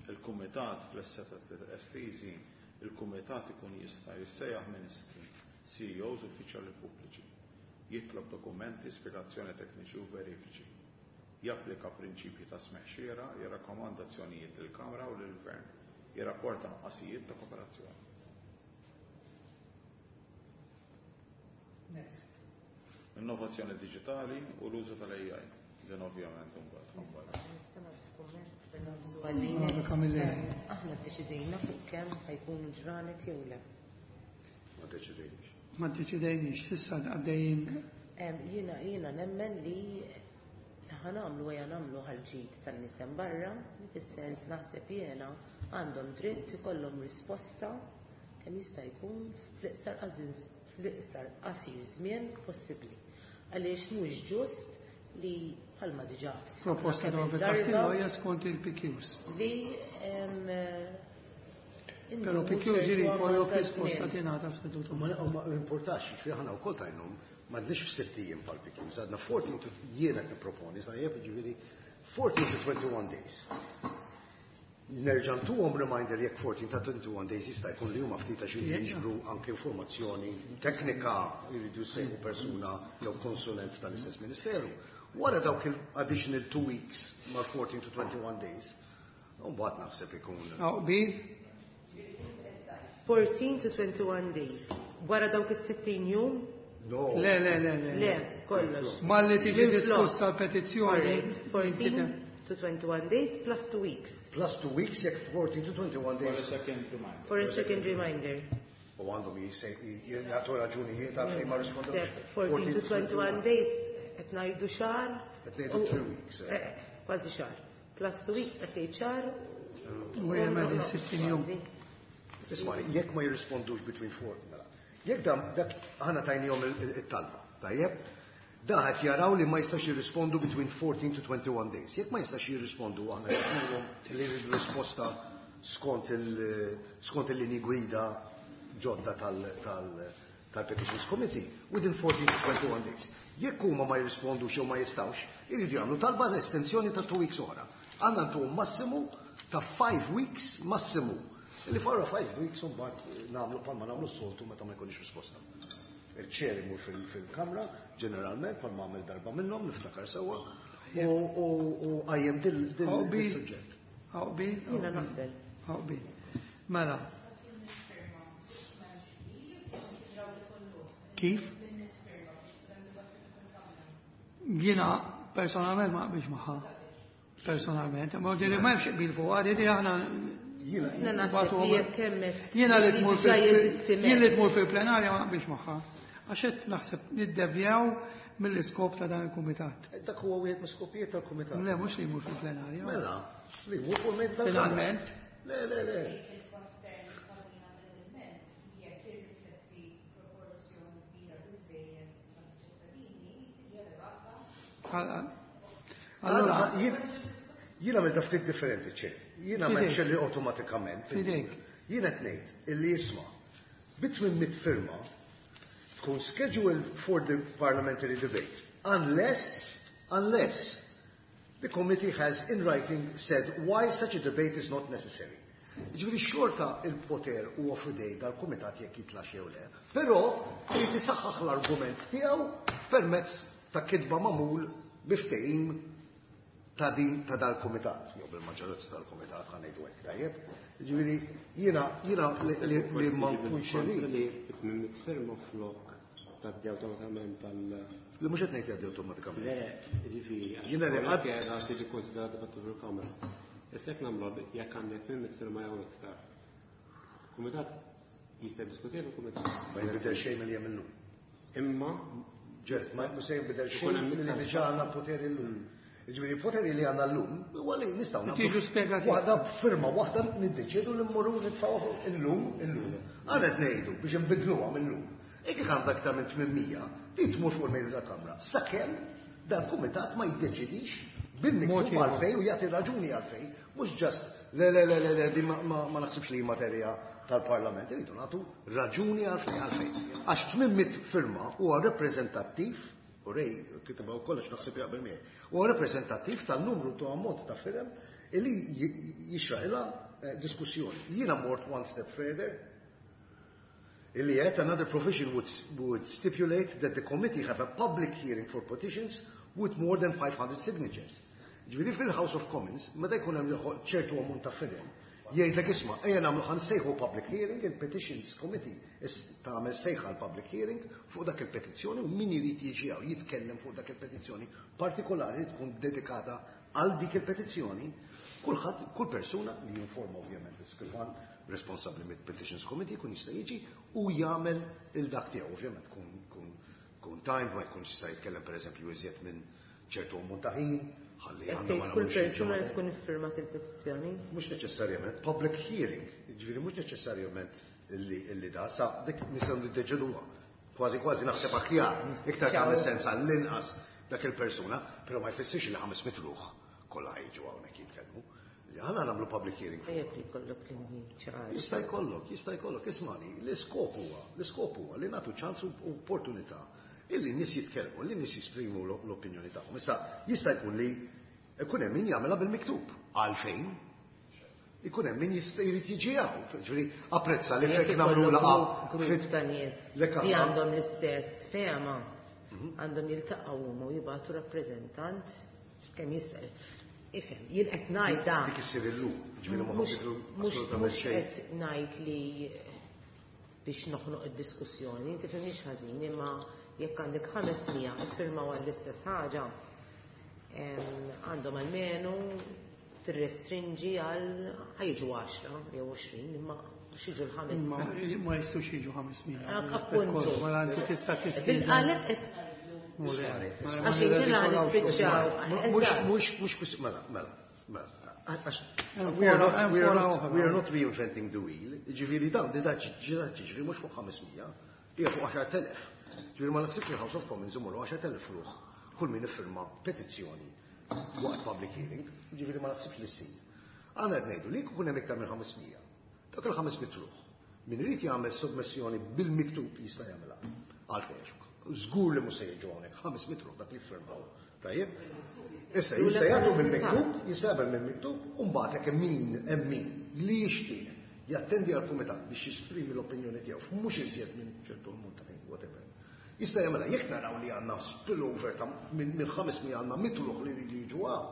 Il-kumitat fl-setat estiżi, il-kumitat ikun jista' jissejjaħ ministri, C E Os, uffiċjali pubbliċi, jitlob dokumenti, spjegazzjoni tekniċi u verifiċi, japplika prinċipji ta' smigħ xieraq, jirrakkomanda azzjonijiet lill-Kamra u lill-Gvern, jirrapporta nuqqasijiet ta' kooperazzjoni. Next. Innovazzjoni digitali u l-użu tal-A I. Din ovvjament imbagħad mbagħad. Nista' nagħti kumment qabel naqbżu għal-linis? Għadu Camilleri. Aħna ddeċidejna fuq kemm ħa jkunu ġranet jew le? Ma deċidejniex. Ma ddeċidejniex, s'issa għaddejjin. Em, Jiena jiena nemmen li ħa nagħmlu ejja nagħmlu għall-ġid tan-nies hemm barra, fis-sens naħseb jiena għandhom dritt ikollhom risposta kemm jista' jkun fl-iqsar qażin- fl-iqsar qasir żmien possibbli. Għaliex mhuwiex ġust li bħalma diġà Proposta kemm ta' il-darba Castillo hija skont il-P Qs. li em, Però indumu P Qs ċertu irid ammont jkollok ta' risposta żmien. tingħata f'seduta. Ma ma importax, ġifieri aħna wkoll tajnhom m'għandniex f'sitt ijiem pal-P Qs, għadna fourteen to, jiena qed nipproponi, tajjeb, ġifieri fourteen to twenty-one days. Nerġa' ntuhom reminder jekk fourteen ta' twenty-one days jista' jkun li huma ftit għax jridu jiġbru anke informazzjoni teknika, jridu jsejħu persuna jew konsulent tal-istess ministeru. Wara dawk il-additional two weeks mal fourteen to twenty-one days, mbagħad naħseb ikun. Qbil? fourteen to twenty-one days. Wara dawk is-sittin jum? No. Le, le, le, le. Le, kollox. Malli tiġi Minflok. diskussa l-petizzjoni. Alright, fourteen to twenty-one days plus two weeks. Plus two weeks jekk fourteen to twenty-one For a days. second reminder. For a second reminder. U għandhom jagħtu raġunijiet għalfejn ma rispondewx. Sep, fourteen to twenty-one days, qed ngħidu xahar. Qed ngħidu u- three weeks, eh. eh, Kważi xahar. Plus two weeks qed tgħid xahar. U jemel sittin jum. Isma', jekk ma jirrispondux between four, mela. Jekk dam dak aħna tajnihom il-talba, tajjeb? Da qed jaraw li ma jistax jirrispondu between fourteen to twenty-one days. Jekk ma jistax jirrispondu, aħna jgħidulhom li jridu risposta skont il skont il-linji gwida ġodda tal tal tal-Petitions Committee within fourteen to twenty-one days. Jekk huma ma jirrispondux jew ma jistawx, iridu jagħmlu talba l-estensjoni ta' two weeks oħra. Għandna ntuhom massimu ta' five weeks massimu. Illi wara five weeks mbagħad nagħmlu bħalma nagħmlu s-soltu meta ma jkunx risposta. Il-chair imur fil-kamra, ġeneralment, bħalma għamel darba minnhom, niftakar sewwa, u u qajjem dil-suġġett. Qbil? Jiena naqbel. Qbil. Mela. Kif? Jiena personalment ma qbilx magħha. Personalment, ma ġeri ma hemmx qbil fuq, għadi aħna Jiena Jiena naħseb li jekk hemmet Jiena li tmur diġà fil- jeżisti jien li mezz. tmur fil-plenarja ma naqbilx magħha. Għax qed naħseb niddevjaw mill-iskop ta' dan il-kumitat. Dak huwa wieħed mis-skopijiet tal-kumitat. Le, mhux li jmur fil-plenarja. Mela, li jmur fuq il-mezz tal-kamra. Finalment. Le, le, le. Il-concern tal-lina mill-ilment jekk jirrifletti proporzjon kbira biżejjed tal-ċittadini tiġi elevata. Allora, Jiena għamilta ftit differenti ċe. Jiena Fidejk. m'hemmx li awtomatikament. Fidejk. Jiena qed ngħid illi jisma' between mitt firma tkun scheduled for the parliamentary debate unless unless the committee has in writing said why such a debate is not necessary. Ġifieri xorta il-poter huwa f'idej dal-kumitat jekk jitlax jew le, però irid isaħħaħ l-argument tiegħu permezz ta' kitba magħmul bi ftehim ta' din ta' dal-kumitat, jew bil-maġġoranza tal-kumitat ħa ngħidu hekk tajjeb. Ġifieri jiena jiena li ma nkunx irid. Li tmien firma flok tgħaddi awtomatikament tal- Li mhux qed ngħid jgħaddi awtomatikament. Le, ġifieri, Jiena li għad tiġi konsiderata dibattu fil-Kamra. Issa jekk nagħmlu jekk għandek tmien mitt firma jew iktar. Kumitat jista' jiddiskuti fil-kumitat. Ma jinbidel xejn milli hemm illum. Imma Ġert, ma se jinbidel xejn milli diġà għandna poteri llum. Ġifieri poteri li għandna llum huwa li nistgħu nagħmlu. Tiġu spjegati. Waħda firma waħda niddeċiedu li mmorru nitfgħu illum illum. Għandna qed ngħidu biex inbidluha mill-lum. Jekk għandha aktar minn tmien mija, din tmur fuq il-mejda tal-Kamra. Sakemm dan kumitat ma jiddeċidix bil-miktub għalfej u jagħti raġuni għalfej, mhux just le le le le le di ma naħsibx li materja tal-Parlament, iridu nagħtu raġuni għalfej għalfej. Għax tmien mitt firma huwa rappreżentattiv, u rej kitibha kollox naħseb jaqbel miegħi, huwa rappreżentattiv tal-numru ta' ammont ta' firem illi jixraqilha diskussjoni. Jiena mort one step further, illi yet another provision would, would stipulate that the committee have a public hearing for petitions with more than five hundred signatures. Ġifieri fil-House of Commons, meta jkun hemm ċertu ammont ta' firem, jgħidlek isma' ejja nagħmlu ħa nsejħu public hearing, il-Petitions Committee tagħmel sejħa l-public hearing fuq dak il-petizzjoni u min irid jiġi hawn jitkellem fuq dak il-petizzjoni partikolari li tkun dedikata għal dik il-petizzjoni, kulħadd, kull persuna li jinforma ovvjament l-iskrivan responsabbli mid-Petitions Committee jkun jista' jiġi u jagħmel il-dak tiegħu. Ovvjament kun kun kun timed, ma jkunx jista' jitkellem pereżempju iżjed minn ċertu ammont ta' ħin, ħalli għandna ma kull persuna li tkun iffirmat il-petizzjoni? Mhux neċessarjament, public hearing, ġifieri mhux neċessarjament illi illi da, sa dik nistgħu niddeċiduha. Kważi kważi naħseb aħjar, iktar tagħmel sens għall-inqas dak il-persuna, però ma jfissirx li ħames mitt ruħ kollha jiġu hawnhekk jitkellmu. Aħna nagħmlu public hearing. Ejjeb li jkollok linji ċari. Jista' jkollok, jista' jkollok, ismani, l-iskop huwa, l-iskop huwa li nagħtu ċans u opportunità illi n-nies jitkellmu, li n-nies jisprimu l-opinjoni tagħhom. Issa jista' jkun li ikun hemm min jagħmilha bil-miktub. Għalfejn? Ikun hemm min jista' jrid jiġi hawn. Ġifieri apprezza li fek nagħmlu laqgħa grupp ta' nies li għandhom l-istess fehma għandhom jiltaqgħu huma u jibgħatu rappreżentant kemm jista'. Ifhem, jien qed ngħid dan. Dik issir illum, ġifieri ma assolutament xejn. Qed ngħid li biex noħnoq id-diskussjoni, inti fimniex ħażin, imma jekk għandek ħames mija iffirmaw għall-istess ħaġa, għandhom almenu tirrestrinġi għal ħa jiġu għaxra jew għoxrin, imma mhux jiġu l-ħames. Ma jistgħux jiġu ħames mija. Appuntu. Mela inti tista' tistieden. Bil-qalb qed għax inkella nispiċċaw. Mhux mhux mhux mela mela mela. We are not, we are not, we are not reinventing the wheel. Ġifieri dan di da ġiġri mhux fuq ħames mija, hija fuq għaxart elef. Ġifieri ma naħsibx il-House of Commons imorru għaxart elef ruħ kull min iffirma petizzjoni waqt public hearing, ġifieri ma naħsibx li ssir. Aħna qed ngħidu li jkun hemm iktar minn ħames mija. Dak il-ħames mitt ruħ. Min irid jagħmel sommissjoni bil-miktub jista' jagħmilha. Għalfejn? Żgur li mhux se jiġu hawnhekk ħames mitt ruħ dak li ffirmaw. Tajjeb? Issa jista' jagħtu bil-miktub, jista' jagħmel bil-miktub, u mbagħad jekk min hemm min li jixtieq jattendi għal kumitat biex jesprimi l-opinjoni tiegħu mhux iżjed minn ċertu ammont ta' ħin, whatever. Jista' jagħmilha jekk naraw li għandna spillover ta' minn ħames mija għandna mitt ruħ li jridu jiġu hawn.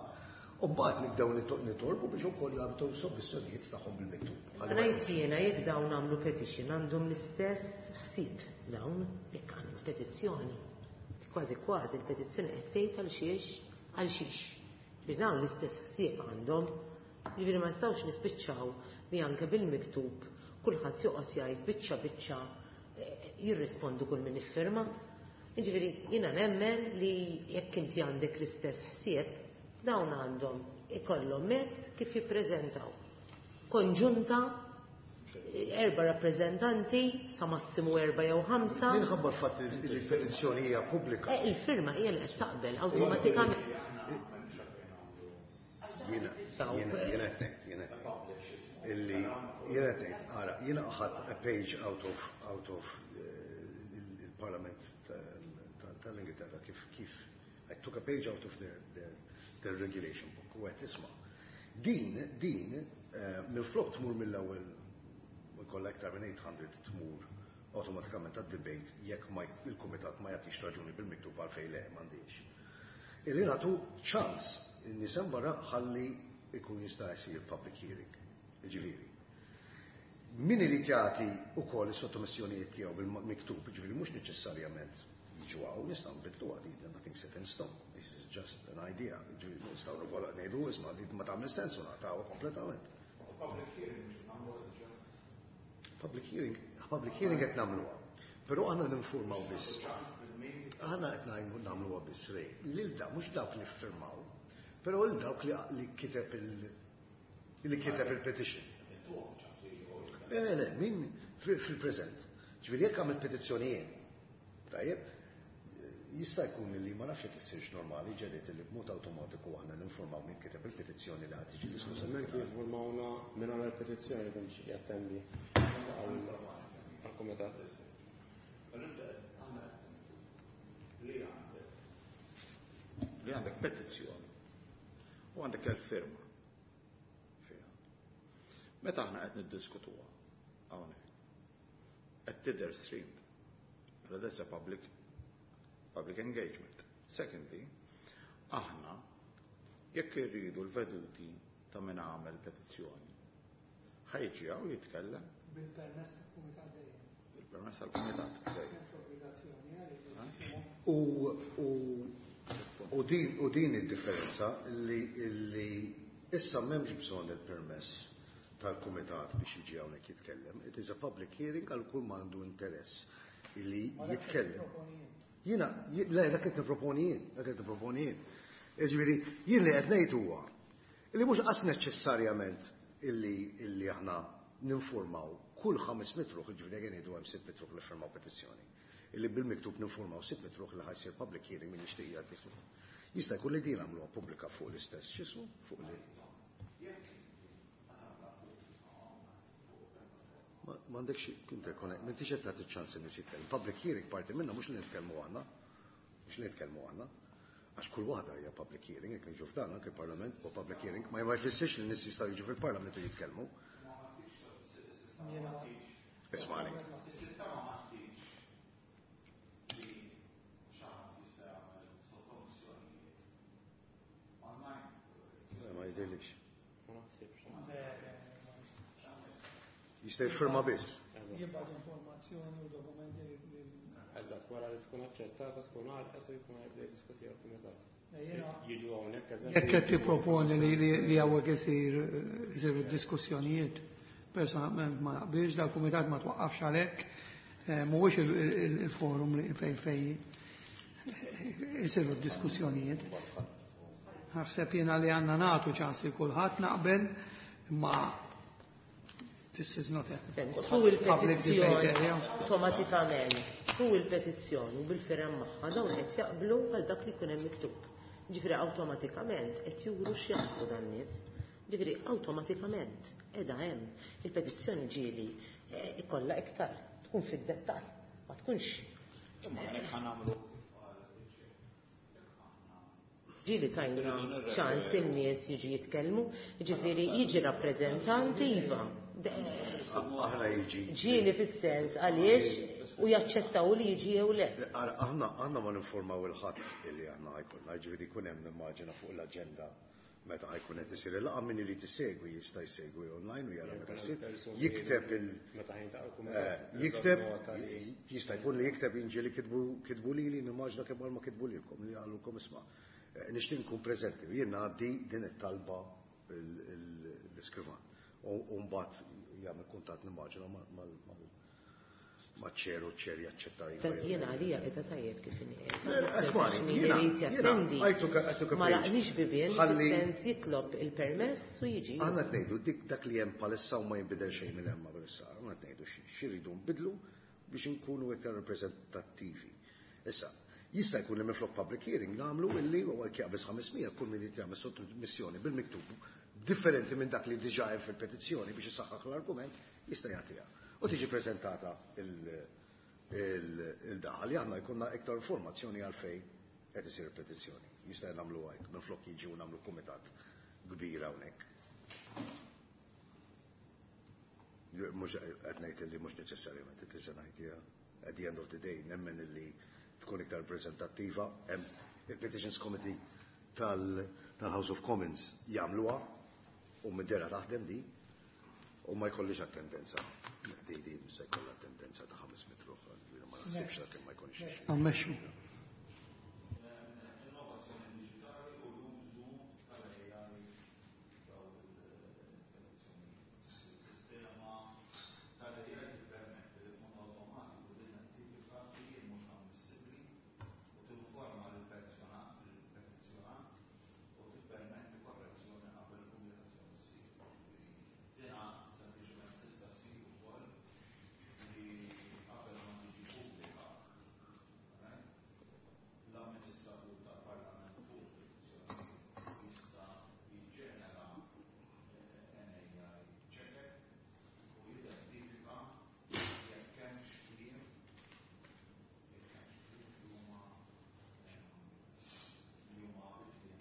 U mbagħad nibdew nitolbu biex ukoll jagħtu sommissjonijiet tagħhom bil-miktub. Rajt jiena jekk dawn għamlu petition għandhom l-istess ħsieb dawn jekk għamlet petizzjoni. Kważi kważi l-petizzjoni qed tgħid għal xiex għal xiex. Li dawn l-istess ħsieb għandhom. Ġifieri ma nistgħux nispiċċaw li anke bil-miktub kulħadd joqgħod jgħid biċċa biċċa jirrispondu kull min iffirma. Ġifieri jiena nemmen li jekk inti għandek l-istess ħsieb, dawn għandhom ikollhom mezz kif jippreżentaw. Konġunta erba' rappreżentanti sa massimu erba' jew ħamsa. Minħabba l-fatt li l-petizzjoni hija pubblika. Eh, il-firma hija li qed taqbel awtomatikament. Jiena jiena jiena qed ngħid, jiena qed ngħid illi jiena qed ngħid, ara, jiena aħadt a page out of out of eh, il-Parlament tal-Ingilterra kif kif I took a page out of their, their, their regulation book u għedt isma'. Din, din, eh, minflok tmur mill-ewwel u jkollha iktar minn eight hundred tmur awtomatikament għad-debate jekk ma il-kumitat ma jagħtix raġuni bil-miktub għalfejn le m'għandix. Illi nagħtu ċans in-nies barra ħalli ikun jista' jsir public hearing. Ġifieri. Min irid jagħti wkoll is-sottomissjonijiet tiegħu bil-miktub, ġifieri mhux neċessarjament jiġu hawn, nistgħu nbidlu għadi, nothing set in stone. This is just an idea. Ġifieri nistgħu wkoll ngħidu isma' di ma tagħmel sens u naqtgħuha kompletament. Public hearing mhux nagħmlu diġà. Public hearing, public hearing qed nagħmluha. Però aħna ninfurmaw biss. Aħna qed ngħidu nagħmluha biss rej. Lil da mhux dawk li ffirmaw, però lil dawk li li kiteb il li kiteb il-petition. Le, le, le, min fil-preżent. Ġifieri jekk għamil petizzjoni jien, tajjeb, jista' jkun li ma nafx jekk issirx normali ġerit li b'mod awtomatiku aħna ninformaw min kiteb il-petizzjoni li ħadd tiġi diskussa. Menki jinformawna minn għamel petizzjoni biex jattendi għal-komitat. Li għandek li għandek petizzjoni u għandek il-firma fiha. Meta aħna qed niddiskutuha hawnhekk, qed tidher streamed. Mela that's a public public engagement. Secondly, aħna jekk irridu l-veduti ta' min għamel petizzjoni, ħa jiġi hawn jitkellem. Bil-permess tal-kumitat dejjem. Bil-permess tal-kumitat dejjem. M'hemmx obbligazzjoni għalih jisimgħu. U, u, u din, u din id-differenza li, li issa m'hemmx bżonn il-permess tal-kumitat biex jiġi hawnhekk jitkellem. It is a public hearing għal kull ma għandu interess li Ma dak qed jitkellem. tipproponi jien. Jiena, le, dak qed nipproponi jien, dak qed nipproponi jien. Jiġifieri, jien li qed ngħid huwa li mhux qas neċessarjament illi illi aħna ninformaw kull ħames mitt ruħ, ġifieri jekk ngħidu hemm sitt mitt ruħ li firmaw petizzjoni, illi bil-miktub ninformaw sitt mitt ruħ li ħa jsir public hearing min jixtieq jagħti. Jista' jkun li din nagħmluha pubblika fuq l-istess x'ismu, fuq li. Ma m'għandekx interconnect, m'intix qed tagħti ċans in-nies jitkellmu. Public hearing parti minna mhux li nitkellmu aħna, mhux li nitkellmu aħna. Għax kull waħda hija public hearing, jekk niġu f'dan anke il-Parlament u public hearing, ma ma jfissirx li n-nies jistgħu jiġu fil-Parlament u jitkellmu. Jiena Ismani. Is-sistema ma tix li xi ħadd jista' jagħmel sottomissjonijiet online. Le, ma jidhirlix. Ma naħsibx. Le, le, ma jistax. Jista' jiffirma biss. Jibgħat informazzjoni u dokumenti lil Eżatt, wara li tkun aċċettata tkun għalqet u jkun jibda jiddiskuti għal-kumitat. Jiena Jiġu hawnhekk eżempju. Jekk qed tipproponi li li li hawnhekk isir isiru diskussjonijiet, personalment ma naqbilx, dal-kumitat ma twaqqafx għalhekk, eh, mhuwiex il- il- il-forum li fejn fejn isiru diskussjonijiet. Naħseb jiena li għandna nagħtu ċans li kulħadd naqbel, imma this is not a Tu public debate il-petizzjoni area. automatikament, tu il-petizzjoni u bil-firem magħha dawn qed jaqblu għal dak li jkun hemm miktub. Ġifieri awtomatikament qed juru x'jaħsbu dan nies. Ġifieri awtomatikament qiegħda hemm. Il-petizzjoni ġieli eh, ikollha iktar, tkun fid-dettall, ma tkunx Imma hekk ħa nagħmlu ġieli tajna ċans in-nies jiġi jitkellmu, ġifieri jiġi rappreżentant iva. De- Aħna jiġi. Ġieli fis-sens għaliex u jaċċettaw li jiġi jew le. Ara, Aħna aħna ma ninformaw il-ħadd illi aħna ħa jkollna, ġifieri jkun hemm nimmaġina fuq l-aġenda meta ħa jkun qed isir il-laqgħa min irid isegwi jista' jsegwi online u jara meta jsir. Jikteb il Meta ħin ta' eh, kumitat. jikteb jista' jkun li jikteb inġeli kitbu kitbu lili nimmaġina kemm ma kitbu lilkom li qalulkom isma'. eh, Nixtieq nkun preżenti u jien ngħaddi din it-talba l-iskrivan. U mbagħad jagħmel kuntatt nimmaġina mal maċ-chair u ċ-chair jaċċetta iva Ta' jew Jiena le. għalija qiegħda tajjeb kif inhi. Asmani, Min jiena, irid jiena, jattendi. I took a- I took a Ma page. laqniex bibien, Ħalli- fis-sens jitlob il-permess u jiġi. Aħna qed ngħidu dik dak li hemm palissa u ma jinbidel xejn minn hemm palissa. Aħna qed ngħidu xi xi rridu nbidlu biex inkunu iktar rappreżentattivi. Issa, jista' jkun li minflok public hearing nagħmlu illi huwa jekk jaqbeż ħames mija kull min irid jagħmel sottomissjoni bil-miktub differenti minn dak li diġà hemm fil-petizzjoni biex isaħħaħ l-argument jista' jagħtiha. U tiġi preżentata il-daħal li aħna jkollna iktar informazzjoni għalfejn qed isir petizzjoni. Jista' nagħmlu hekk, minflok jiġu nagħmlu kumitat kbir hawnhekk. Mhux qed ngħid li mhux neċessarjament it is an idea. At the end of the day, nemmen illi tkun iktar reprezentattiva. Hemm il-Petitions Committee tal-House of Commons jagħmluha u mid-dera taħdem di u ma jkollix attendenza. Di di se jkollha attendenza ta' ħames mitru, ma naħsibx dak ma jkunx. Ammexxu. Innovazzjoni digitali u l-użu tal-A I daw il-petizzjoni. Il-sistema tal-A I tippermetti li b'mod awtomatiku tidentifika kliem mhux ammissibbli u tinforma lill-petizzjonant u tippermetti korrezzjoni qabel il-pubblikazzjoni ssir. Dina sempliċement tista' ssir ukoll li qabel ma tiġi pubblika l-amministratur tal-Parlament fuq il-petizzjoni jista' jiġġenera an A I checker u jidentifika jekk hemmx kliem jekk hemmx kliem li huma li huma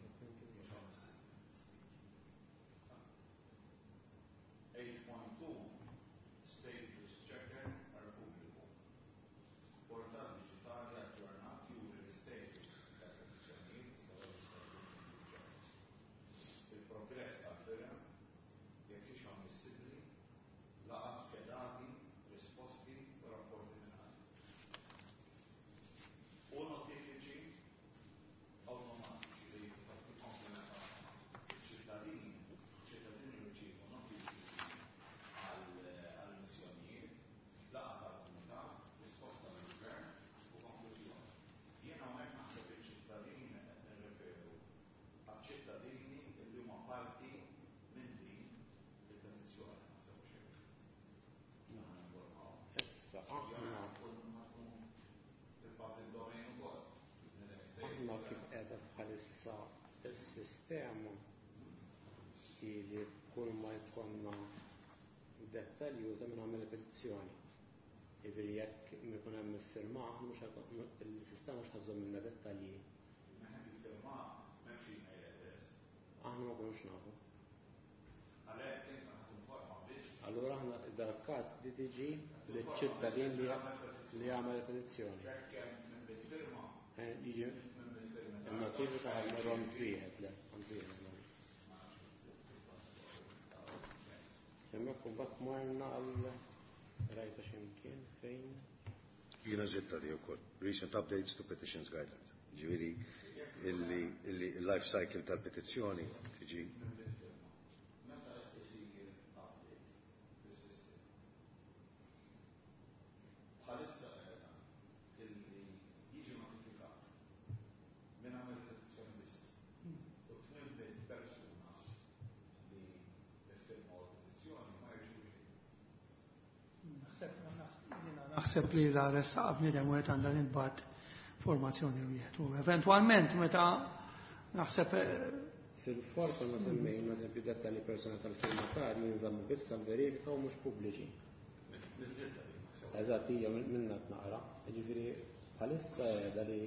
kliem mhux ammissibbli. eight point two, Status Checker għal pubbliku. Portal digitali aġġornat juri l-status tal-petizzjonijiet, sewa jista' jkun ġens. Il-progress tal-firem, jekk hix ammissibbli, laqgħat skedati, risposti u rapporti finali. U notifiċi awtomatiċi li jikkomplementaw ċittadini, ċittadini jirċievu notifiki għal-missjonijiet, laqgħa tal-kumitat, risposta mill-gvern u konklużjoni. Jiena hawnhekk naħseb iċ-ċittadini qed nirreferu għaċ-ċittadini li huma parti minn din il-petizzjoni, naħseb hux hekk. Aħna informaw. Issa, aħna Ma tkun fil-public domain ukoll. Aħna kif qiegħda bħalissa is-sistema li kull ma jkollna dettalji ta' min għamel petizzjoni. Jiġifieri jekk ikun hemm iffirma, mhux il-sistema mhux ħa żżomm minna dettalji. Meta tiffirma m'hemmx email address. Aħna ma konux nafu. Għalhekk inti ħa tinforma biss. Allura aħna dan il-każ di tiġi liċ-ċittadin li li jagħmel petizzjoni. Jekk hemm minn bil-firma, Eh, Jiġi minn bil-firma. il-notifika ħa mmorru għand wieħed le, għand wieħed. Hemmhekk imbagħad morna għal rajta x'imkien fejn Jiena żidtha di wkoll. Recent updates to petitions guidelines. Ġifieri illi illi il-life cycle tal-petizzjoni tiġi Minn bil-firma. Meta isir update fis-sistema. Bħalissa qiegħda illi jiġi notifikat minn għamel petizzjoni biss. U tmien mitt persuna li iffirmaw il-petizzjoni ma jirċievu xejn. Naħseb li la ressaq bniedem wieħed għandha nintbagħat formazzjoni wieħed. U eventwalment meta naħseb eh, Fil-forza konna semmejna eżempju dettalji personali tal-firmatarju jinżammu biss għal verifika u mhux pubbliċi. Niżżilta din naħseb. Eżatt, hija minna naqra. Jiġifieri bħalissa qiegħda li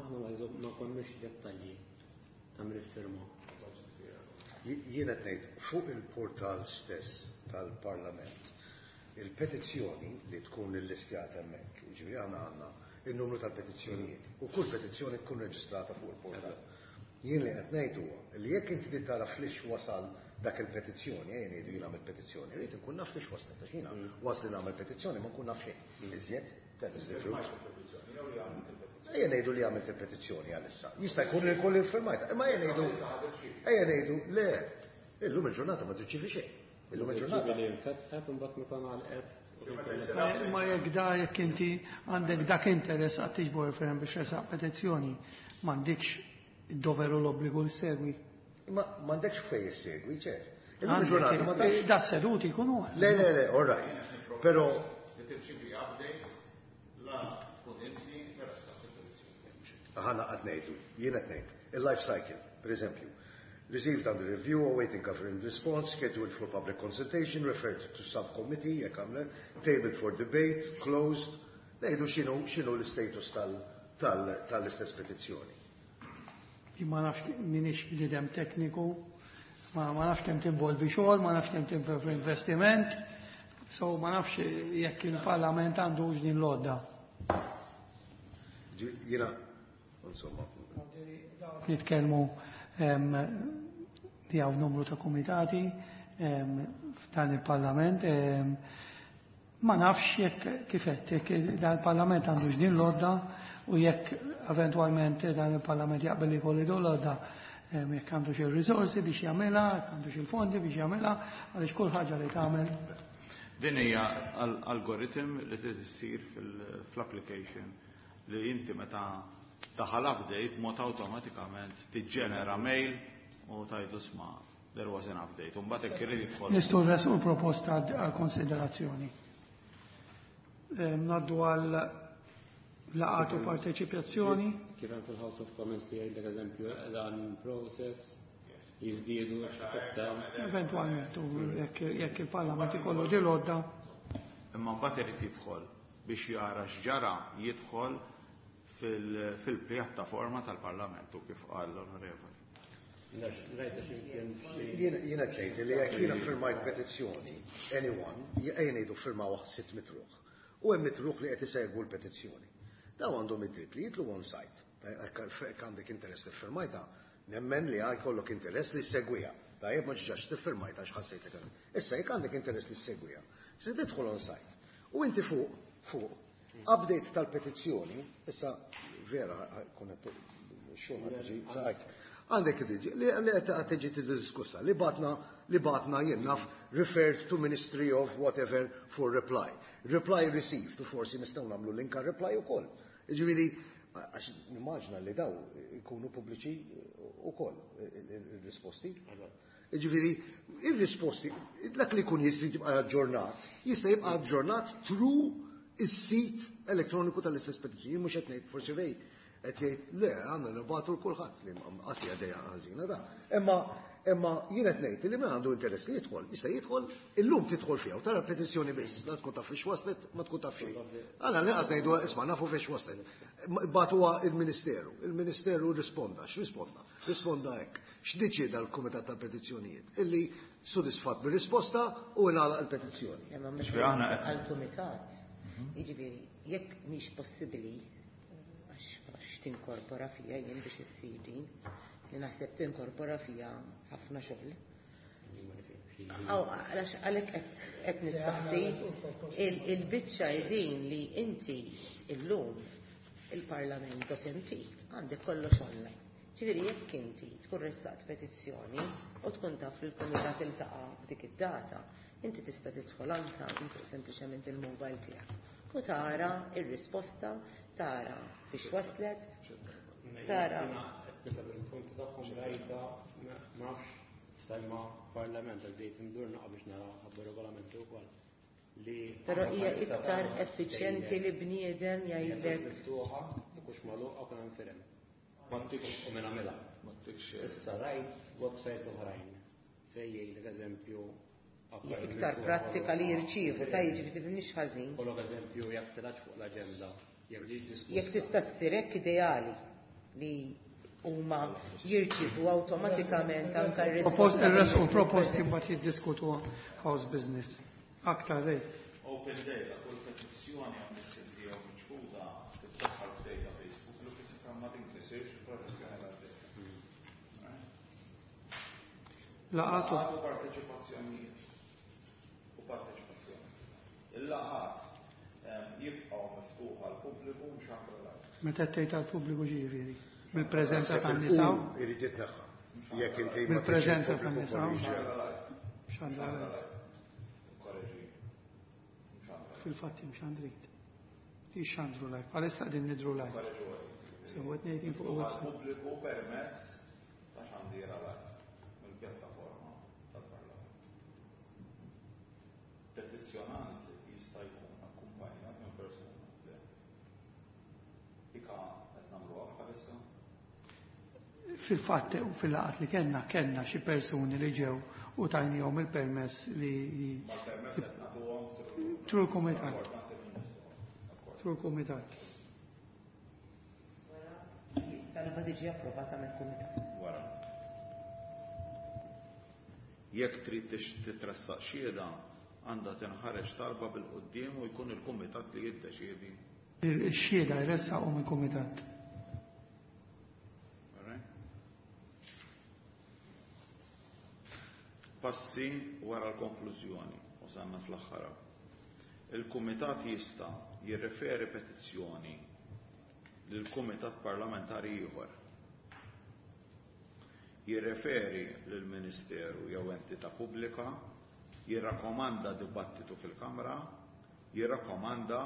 aħna ma jżomm- ma konniex dettalji ta' min iffirma. Jien qed ngħid fuq il-portal stess tal-Parlament il-petizzjoni li tkun illistjata hemmhekk, jiġifieri aħna għandna il-numru tal-petizzjonijiet u kull petizzjoni tkun reġistrata fuq il-portal. Jien li qed ngħid huwa li jekk inti trid tara flix wasal dak il-petizzjoni, ejja ngħidu jien nagħmel petizzjoni, rrid inkun naf flix waslet għax jiena wasli nagħmel petizzjoni ma nkun naf xejn. Iżjed, that is the truth. Ejja ngħidu li għamilt il-petizzjoni għalissa. Jista' jkun li kolli firmajta, imma ejja ngħidu ejja ngħidu le, illum il-ġurnata ma tirċievi xejn. Illum il-ġurnata. Li nfetħet u mbagħad meta ngħalqet u Ma jekk da jekk inti għandek dak interess għad tiġbor referendum biex resaq petizzjoni, m'għandikx id-dover u l-obbligu li segwi. Ma m'għandekx fej issegwi, ċer. Illum il-ġurnata ma tafx. Da seduti jkunu. Le, le, le, all right. Però Li tirċievi updates la tkun inti li ressaq il-petizzjoni. Aħna qed ngħidu, jien qed ngħid, il-life cycle, per eżempju, received under review, awaiting government response, scheduled for public consultation, referred to subcommittee, jekk għamle, tabled for debate, closed, ngħidu x'inhu x'inhu l-status tal- tal- tal-istess petizzjoni. Ma nafx, m'iniex bniedem tekniku, ma, ma nafx kemm tinvolvi xogħol, ma nafx kemm tinvolvi investiment, so ma nafx jekk il-Parlament għandu din l-għodda. Jiena, insomma. Nitkellmu li hawn numru ta' komitati f'dan il-Parlament. Ma nafx jekk kif qed jekk dan il-Parlament għandu din l-għodda u jekk eventwalment dan il-Parlament jaqbel li jkollu din l-għodda, jekk għandu xi risorsi biex jagħmilha, jekk għandu xi fondi biex jagħmilha, għaliex kull ħaġa li tagħmel. Din hija algoritm li trid issir fl-application li inti meta daħal update mod awtomatikament tiġġenera mail u tajdu sma' there was an update. U mbagħad hekk irid jidħol. Nistgħu nresqu proposta għal konsiderazzjoni. Ngħaddu għal laqgħat u parteċipazzjoni. Kif hemm fil-House of Commons li jgħidlek eżempju dan process jiżdiedu x'aktar. Eventwalment, jekk il-Parlament ikollu din l-għodda. Imma mbagħad irid jidħol biex jara x'ġara, jidħol fil-pjattaforma tal-Parlament u kif qal l-Onorevoli. Jiena tgħid li jekk jiena firmajt petizzjoni, anyone, ejja ngħidu firmaw sitt mitt ruħ. U hemm mitt ruħ li qed isegwu l-petizzjoni. Daw għandhom id-dritt li jitlu on site. Jekk għandek interess li firmajta, nemmen li jkollok interess li segwiha. Tajjeb, ma ġiġax tiffirmajta għax ħassejt li kemm. Issa jekk għandek interess li segwiha, se tidħol on site. U inti fuq, fuq, update tal-petizzjoni, issa vera kun xogħol ħaġi, sajk. Għandek tiġi, li qed tiġi tiddiskussa, li batna, li batna jien naf referred to Ministry of whatever for reply. Reply received, u forsi nistgħu nagħmlu link għal reply ukoll. Jiġifieri, għax nimmaġna li daw ikunu pubbliċi ukoll ir-risposti. Jiġifieri, ir-risposti, dak li jkun jista' jibqa' aġġornat, jista' jibqa' aġġornat through is-sit elettroniku tal-istess petizzjoni. Mhux qed ngħid forsi rej qed jgħid le għandna nibgħatu l kulħadd li qasija dejja ħażina da. Imma imma jien qed ngħid li min għandu interess li jidħol, jista' jidħol, illum tidħol fiha u tara petizzjoni biss, la tkun taf fiex waslet, ma tkun taf xejn. Għala lanqas ngħidu isma' nafu fiex waslet. Batuha il-Ministeru, il-Ministeru risponda, x'risponda? Risponda hekk. X'deċieda l-Kumitat tal-Petizzjonijiet? Illi sodisfatt bir-risposta u ingħalaq il-petizzjoni. Imma mhux għall-Kumitat. Jiġifieri, jekk mhix possibbli għax tinkorpora fija jien biex issir din, li naħseb tinkorpora fija ħafna xogħol. Aw, għalax għalhekk qed nistaqsi il-biċċa din li inti illum il-Parlament dot M T għandek kollox online. Ġifieri jekk inti tkun ressaqt petizzjoni u tkun taf li l-kumitat iltaqa' f'dik id-data, inti tista' tidħol anke fuq sempliċement il-mobile tiegħek u tara ir-risposta, tara fiex waslet, tara. Il-punt tagħhom rajta ma nafx f'tajma parlament għal bdejt indur naqa' biex nara ħabba regolamenti wkoll. Però hija iktar effiċjenti li bniedem jgħidlek. Miftuħa, mhux magħluqa kien hemm firem. U minn għamilha. Issa rajt websites oħrajn fejn jgħidlek eżempju Hija iktar prattika li jirċievu, ta' jiġifieri tifhimniex ħażin. Kollok eżempju jekk tilgħax fuq l-aġenda, jekk ġietx diskussa. Jekk tista' ssir hekk ideali li huma jirċievu awtomatikament anke r-risposta. Ir-resqu proposti mbagħad jiddiskutu house business. Aktar rej. Open data, kull petizzjoni ammissibbli jew miċħuda tiddaħħal f'database pubbliku sakemm ma tinkisirx il-protezzjoni tad-data. Laqatu. Laqatu parteċipazzjonijiet. U parteċipazzjoni. Il-laqat jibqgħu miftuħa għall-pubbliku mhux anke live. Meta tgħid għall-pubbliku ġifieri? Mill-preżenza tan-nisa? Irid jitneħħa. Jekk inti ma Mill-preżenza tridx tan-nisa? il-pubbliku Xandra live. Fil-fatt mxandrit. Ti xandru live. Għalissa qegħdin nidru live. So qed ngħid fuq il-website. Pubbliku permezz ta' xandira live mill-pjattaforma tal-Parlament. Petizzjonant jista' jkun akkumpanjat minn persuna. Le. Ika qed nagħmluha bħalissa? Fil-fatt u fil-laqat li kellna, kellna xi persuni li ġew u tajnihom il-permess li Mal-permess qed nagħtuhom through il-kumitat. Through il-kumitat. It-talba tiġi approvata mill-kumitat. Wara. Jekk trid titressaq xhieda, għandha tinħareġ talba bil-quddiem u jkun il-kumitat li jiddeċiedi. Ix-xhieda jressaqu mill-kumitat. Passi wara l-konklużjoni, wasalna fl-aħħar. Il-kumitat jista' jirreferi petizzjoni lil kumitat parlamentari ieħor. Jirreferi lil ministeru jew entità pubblika, jirrakkomanda dibattitu fil-Kamra, jirrakkomanda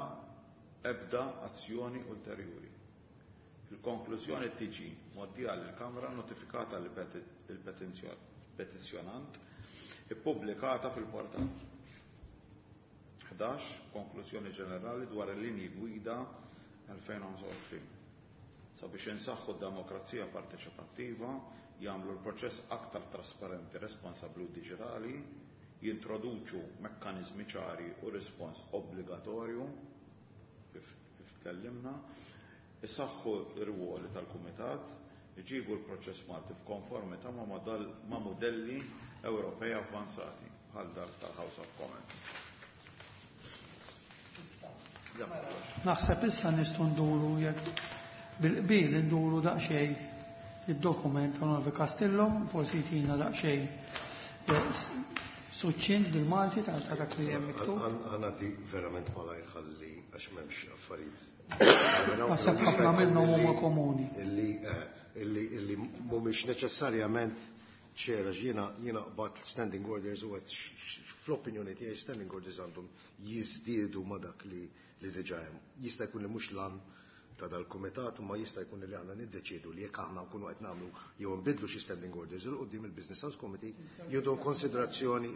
ebda azzjoni ulterjuri. Il-konklużjoni tiġi mgħoddija lill-Kamra, notifikata lill-petizzjonant, ippubblikata fil-portal. ħdax, konklużjoni ġenerali dwar il-linji gwida elfejn u ħamsa u għoxrin. Sabiex insaħħu d-demokrazija parteċipattiva, jagħmlu l-proċess aktar trasparenti, responsabbli u diġitali, jintroduċu mekkaniżmi ċari u rispons obbligatorju, kif, kif tkellimna, isaħħu r-ruoli tal-Kumitat, iġibu l-proċess Malti f'konformità ma' ma' modelli Ewropej avvanzati bħal dak tal-House of Commons. Naħseb issa nistgħu nduru jekk bil-qbil nduru daqsxejn id-dokument ta' Onorevoli Castillo, forsi jtina daqsxejn suċċint bil-Malti ta' dak li hemm miktub. Għandi verament malajr ħalli għax m'hemmx affarijiet. Naħseb ħafna minnhom huma komuni. Illi illi illi mhumiex neċessarjament ċera jiena jiena qbad standing orders u qed fl-opinjoni tiegħi standing orders għandhom jiżdiedu ma' dak li li diġà hemm. Jista' jkun li mhux lan ta' dal-kumitat u ma jista' jkun li aħna niddeċiedu li jekk aħna nkunu qed nagħmlu jew nbidlu xi standing orders il quddiem il-Business House Committee jieħdu konsiderazzjoni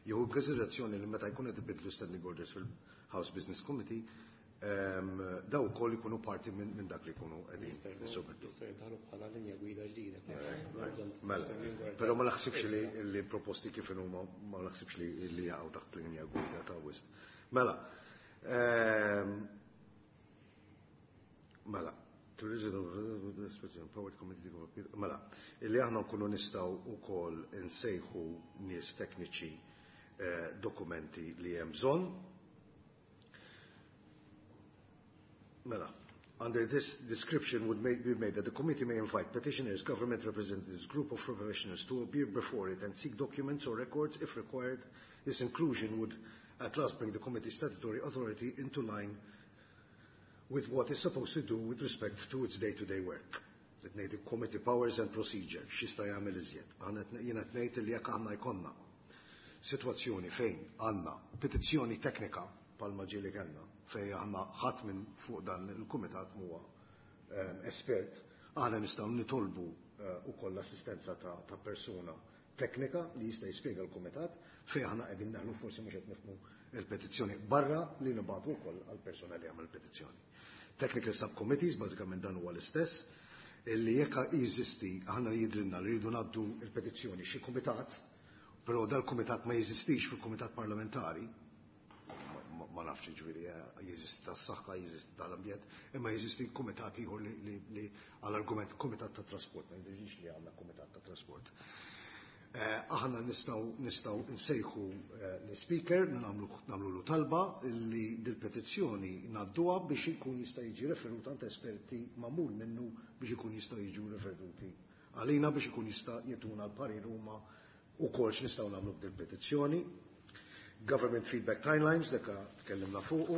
jieħu konsiderazzjoni li meta jkun qed ibidlu standing orders fil-House Business Committee daw ukoll ikunu parti minn dak li jkunu qegħdin jistgħu jidħlu bħala linja gwida ġdida. Mela, però ma naħsibx li li proposti kif huma ma naħsibx li li jaqgħu taħt linja gwida ta' wisq. Mela, mela, mela, illi aħna nkunu nistgħu wkoll insejħu nies tekniċi dokumenti li hemm bżonn. Mela, under this description would make, be made that the committee may invite petitioners, government representatives, group of professionals to appear before it and seek documents or records if required. This inclusion would at last bring the committee's statutory authority into line with what it's supposed to do with respect to its day-to-day work. Qed ngħid committee powers and procedure, x'jista' jagħmel iżjed. Jiena qed ngħid li jekk aħna jkollna sitwazzjoni fejn għandna petizzjoni teknika bħalma ġieli kellna fejn aħna ħadd minn fuq dan il-kumitat huwa espert, aħna nistgħu nitolbu ukoll l-assistenza ta' persuna teknika li jista' jispjega l-kumitat fejn aħna qegħdin naħlu forsi mhux qed nifhmu il-petizzjoni barra li nibagħtu wkoll għall-persuna li jagħmel il-petizzjoni. Technical subcommittees, bażikament dan huwa l-istess, illi jekk jeżisti aħna jidrinna li rridu ngħaddu il-petizzjoni xi kumitat, però dal-kumitat ma jeżistix fil-kumitat parlamentari, ma nafx ġifieri jeżisti tas-saħħa, jeżisti tal-ambjent, imma jeżisti kumitat ieħor li għall-argument kumitat tat trasport, ma jidhirx li għandna kumitat tat trasport. Aħna nistgħu nistgħu nsejħu l-speaker, nagħmlu talba li dil-petizzjoni ngħadduha biex ikun jista' jiġi referut għand esperti magħmul minnu biex ikun jista' jiġu referuti għalina biex ikun jista' jagħtuna l-parir huma wkoll x'nistgħu nagħmlu b'dil-petizzjoni. Government feedback timelines, dak tkellimna fuqu.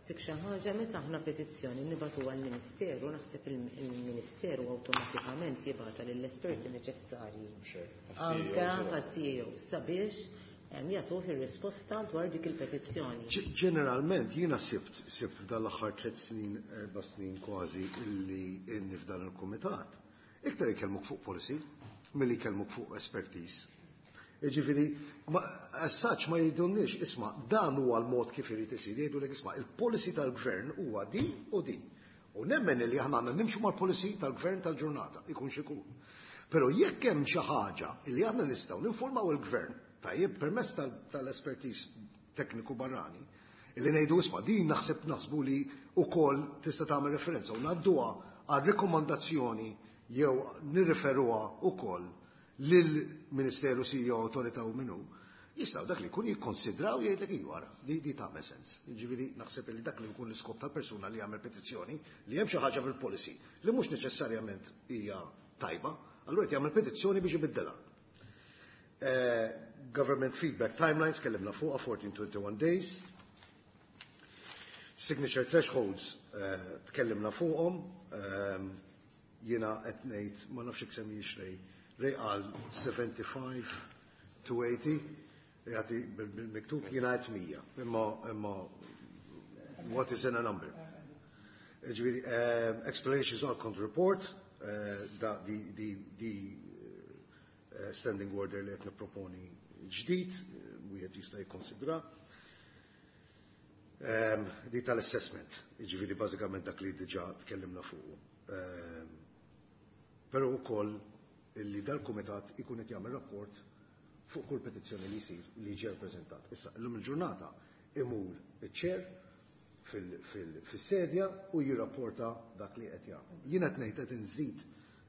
Tik xi ħaġa meta aħna petizzjoni nibatu għall-Ministeru, naħseb il-Ministeru awtomatikament jibgħatha lill-esperti neċessarji. Anke għas-C E O sabiex jagħtuh ir-risposta dwar dik il-petizzjoni. Ġeneralment jiena sibt sibt f'dan l-aħħar tliet snin, erba' snin kważi illi inni f'dan il-kumitat. Iktar ikellmuk fuq policy milli jkellmuk fuq expertise. Jiġifieri, as such ma jgħidulniex, isma' dan huwa l-mod kif irid isir, jgħidulek isma' il-policy tal-gvern huwa din u din. U nemmen li aħna għandna nimxu mal-policy tal-gvern tal-ġurnata, ikun x'ikun. Però jekk hemm xi ħaġa li aħna nistgħu ninformaw il-gvern, tajjeb permezz tal-expertise tekniku barrani, Illi ngħidu isma' din naħseb naħsbu li wkoll tista' tagħmel referenza u ngħadduha għal rekomandazzjoni jew nirriferuha wkoll lill-Ministeru si jew awtorità u minnu, jistgħu dak li jkun jikkonsidraw jgħidlek iva ara, di, di tagħmel sens. Jiġifieri naħseb li dak li jkun l-iskop tal-persuna li jagħmel petizzjoni li hemm xi ħaġa fil-policy li mhux neċessarjament hija tajba, allura qed jagħmel petizzjoni biex ibiddelha. Uh, government feedback timelines kellimna fuqha fourteen to twenty-one days. Signature thresholds uh, tkellimna fuqhom, um, jiena qed ngħid ma nafx hekk semmiex Ray. Ray qal seventy-five to eighty, jagħti bil-miktub jiena qed mija, imma imma what is in a number. Ġifieri, um, explanations on country report, uh, da di di di uh, standing order li qed nipproponi ġdid, wieħed jista' jikkonsidra. Um, di tal-assessment, jiġifieri bażikament dak li diġà tkellimna fuq. Um, però wkoll illi dal-kumitat ikun qed jagħmel rapport fuq kull petizzjoni li jsir li jiġi rappreżentat. Issa llum il-ġurnata imur iċ-chair fil-sedja u jirrapporta dak li qed jagħmel. Jien qed ngħid qed inżid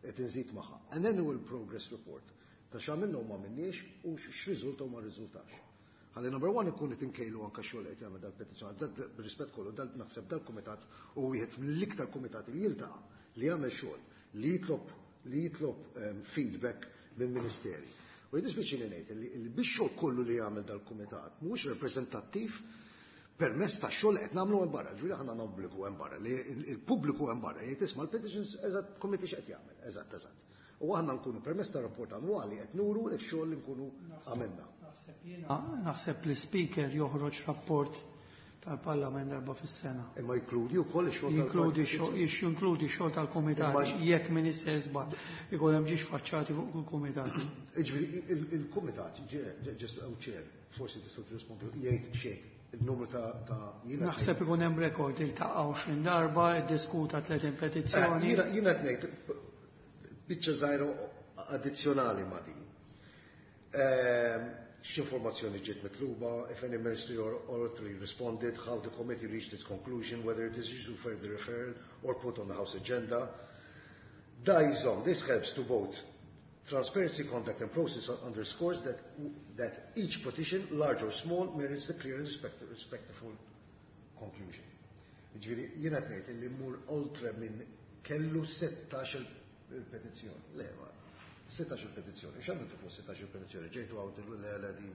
qed inżid magħha. An annual progress report ta' x'għamilna u ma għamilniex u x'riżulta u ma rriżultax. Ħalli number one ikun qed inkejlu anke xogħol qed jagħmel dal-petizzjoni, bir-rispett kollu dal naħseb dal-kumitat u wieħed mill-iktar kumitati li jiltaqa' li jagħmel xogħol li jitlob li jitlob um, feedback minn ministeri. U jiddispjaċini ngħid li biex xogħol kollu li jagħmel dal-kumitat mhuwiex rappreżentattiv permezz ta' xogħol qed nagħmlu hemm barra. Ġifieri aħna nobbligu hemm barra li il-pubbliku hemm barra jgħid isma' l-petitions eżatt committee x'qed jagħmel, eżatt eżatt. U aħna nkunu permezz ta' rapport annwali qed nuru x-xogħol li nkunu għamilna. Naħseb li speaker joħroġ rapport tal-Parlament darba fis-sena. Imma jinkludi wkoll ix-xogħol Jinkludi jinkludi xogħol tal-kumitat jekk minister żball ikun hemm ġiex faċċati fuq kull kumitat. Jiġifieri il-kumitat ġest chair forsi tista' tirrispondi jgħid xejn il-numru ta' ta' jiena. Naħseb ikun hemm rekord iltaqa' għoxrin darba, iddiskuta tletin petizzjoni. Jiena qed ngħid biċċa żgħira addizzjonali ma' din. X'informazzjoni ġiet mitluba, if any ministry or authority responded, how the committee reached its conclusion, whether it is issue further referral or put on the House agenda. Da jżomm, this helps to both transparency, conduct and process underscores that, that each petition, large or small, merits the clear and respect, respectful conclusion. Ġifieri, jiena qed ngħid li mmur oltre minn kellu sittax il-petizzjoni. Le, ma sittax il-petizzjoni. X'għamiltu fuq sittax il-petizzjoni? Ġejtu hawn tillu le le din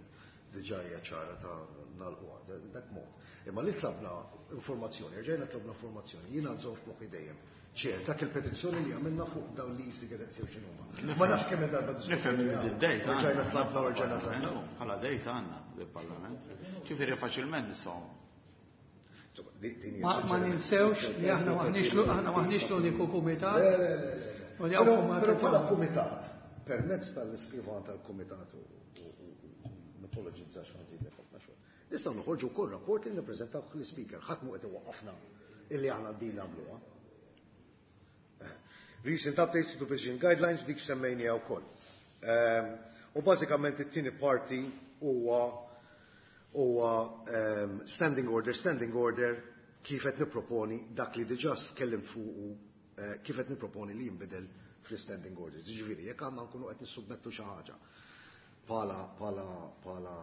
diġà hija ċara ta' nagħlquha, dak mod. Imma li tlabna informazzjoni, rġajna tlabna informazzjoni, jiena nżomm f'moħħi dejjem. Ċer, dak il-petizzjoni li għamilna fuq dawn li e-cigarettes jew x'inhuma. Ma nafx kemm darba Nifhem li d-dejta. Rġajna tlabna u rġajna tlabna. Bħala dejta għandna del-Parlament. Ġifieri faċilment nistgħu. Ma ninsewx li aħna maħniex aħna maħniex l-uniku kumitat. Le, le, le, le. Però bħala kumitat, permezz tal-iskrivan tal-kumitat u napologizzax ma nżidlek ħafna xogħol. Nistgħu noħorġu wkoll rapport li nippreżentaw l-ispeaker, ħadd mhu qed iwaqqafna illi aħna din nagħmluha. Recent updates to petition guidelines dik semmejnija wkoll. U bażikament it-tieni parti huwa huwa standing order, standing order kif qed nipproponi dak li diġà tkellim fuqu kif qed nipproponi li jinbidel fl-standing orders. Jiġifieri jekk għandna nkunu qed nissubmettu xi ħaġa bħala bħala bħala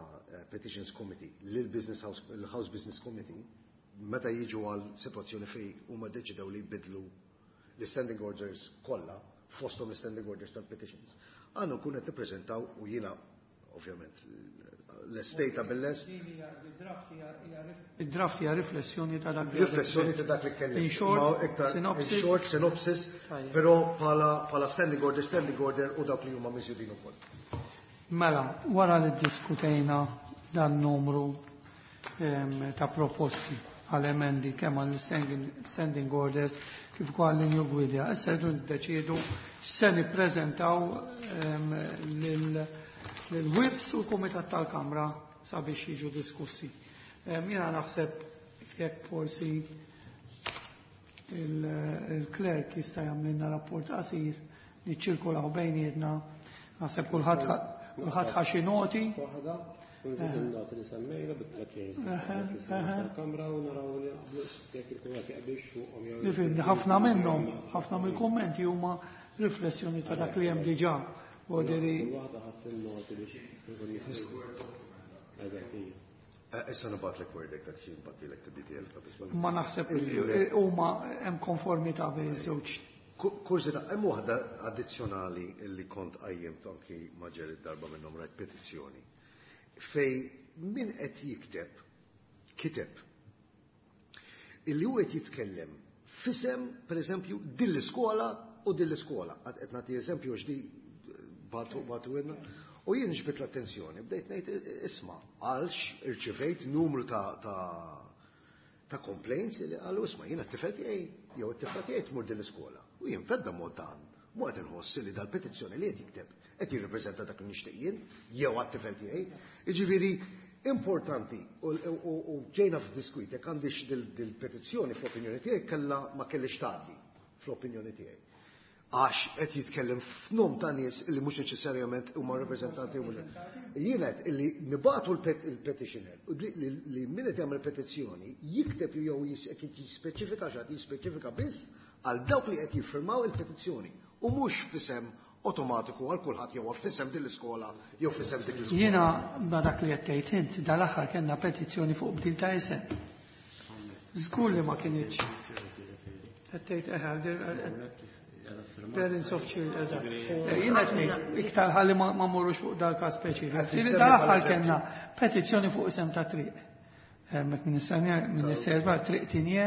petitions committee lil business house il-House Business Committee meta jiġu għal sitwazzjoni fejn huma ddeċidew li jbidlu l-standing orders kollha fosthom l-standing orders tal-petitions. Għandna nkun qed nippreżentaw u jiena ovvjament l-estejta bil-lest. Id-draft hija riflessjoni ta' dak li riflessjoni ta' dak li kelli. In short, synopsis. In short, synopsis, però bħala bħala standing order, standing order u dawk li huma miżjudin ukoll. Mela, wara li ddiskutejna dan numru ta' proposti għal emendi kemm għal standing orders kif ukoll linju gwida, issa rridu niddeċiedu x'se nippreżentaw lil l-whips u l-Kumitat tal-Kamra sabiex jiġu diskussi. Jiena naħseb jekk forsi il-klerk jista' jagħmlilna rapport qasir niċċirkulaw bejnietna, naħseb kulħadd kulħadd ħa xi noti. Nżid il-noti li semmejna bit-tlet tal-Kamra u naraw li naqblu jekk il-kumitat jaqbilx fuqhom jew. Nifhimni, ħafna minnhom, ħafna mill-kummenti huma riflessjoni ta' dak li hemm diġà. Waħda ħadd il-noti biex nkun nistgħu. Eżatt, Issa nibgħatlek wordek dak xi nbattilek T B T L ta' biss. Ma naħseb huma hemm konformità bejn iż-żewġ. Kurżità, hemm waħda addizzjonali li kont qajjimt anki ma' Ġeri darba minnhom, rajt petizzjoni fej min qed jikteb kiteb illi hu qed jitkellem f'isem, pereżempju, din l-iskola u din l-iskola. Qed nagħti eżempju għax di batu batu għedna. U jien ġbit l-attenzjoni, bdejt ngħid, isma', għalx irċivejt numru ta' ta' ta' complaints li qalu, isma', jiena t-tifel tiegħi jew it-tifla tiegħi tmur din l-iskola. U jien fedda mod dan, mod inħoss li dal-petizzjoni li qed jikteb qed jirrappreżenta dak li nixtieq jien jew għat-tifel tiegħi. Jiġifieri importanti u ġejna f'diskwit jekk għandix dil-petizzjoni, fl-opinjoni tiegħi kellha ma kellix tgħaddi fl-opinjoni tiegħi. Għax qed jitkellem f'nom ta' nies li mhux neċessarjament huma rappreżentanti u mhux. Jien qed illi nibatu l-petitioner li min qed jagħmel petizzjoni jikteb jew jispeċifika x'għad jispeċifika biss għal dawk li qed jiffirmaw il-petizzjoni u mhux f'isem automatiku għal kulħadd jew f'isem din l-iskola jew f'isem dik l-iskola. Jiena ma dak li qed tgħid int, dal-aħħar kellna petizzjoni fuq bdil ta' isem. Żgur li ma kinitx. Qed tgħid eħe, parents of children, eżatt. Jiena qed ngħid iktar ħalli ma mmorrux fuq dal-każ speċifiku. Dal-aħħar kellna petizzjoni fuq isem ta' triq. Mek minn serva triq Tinje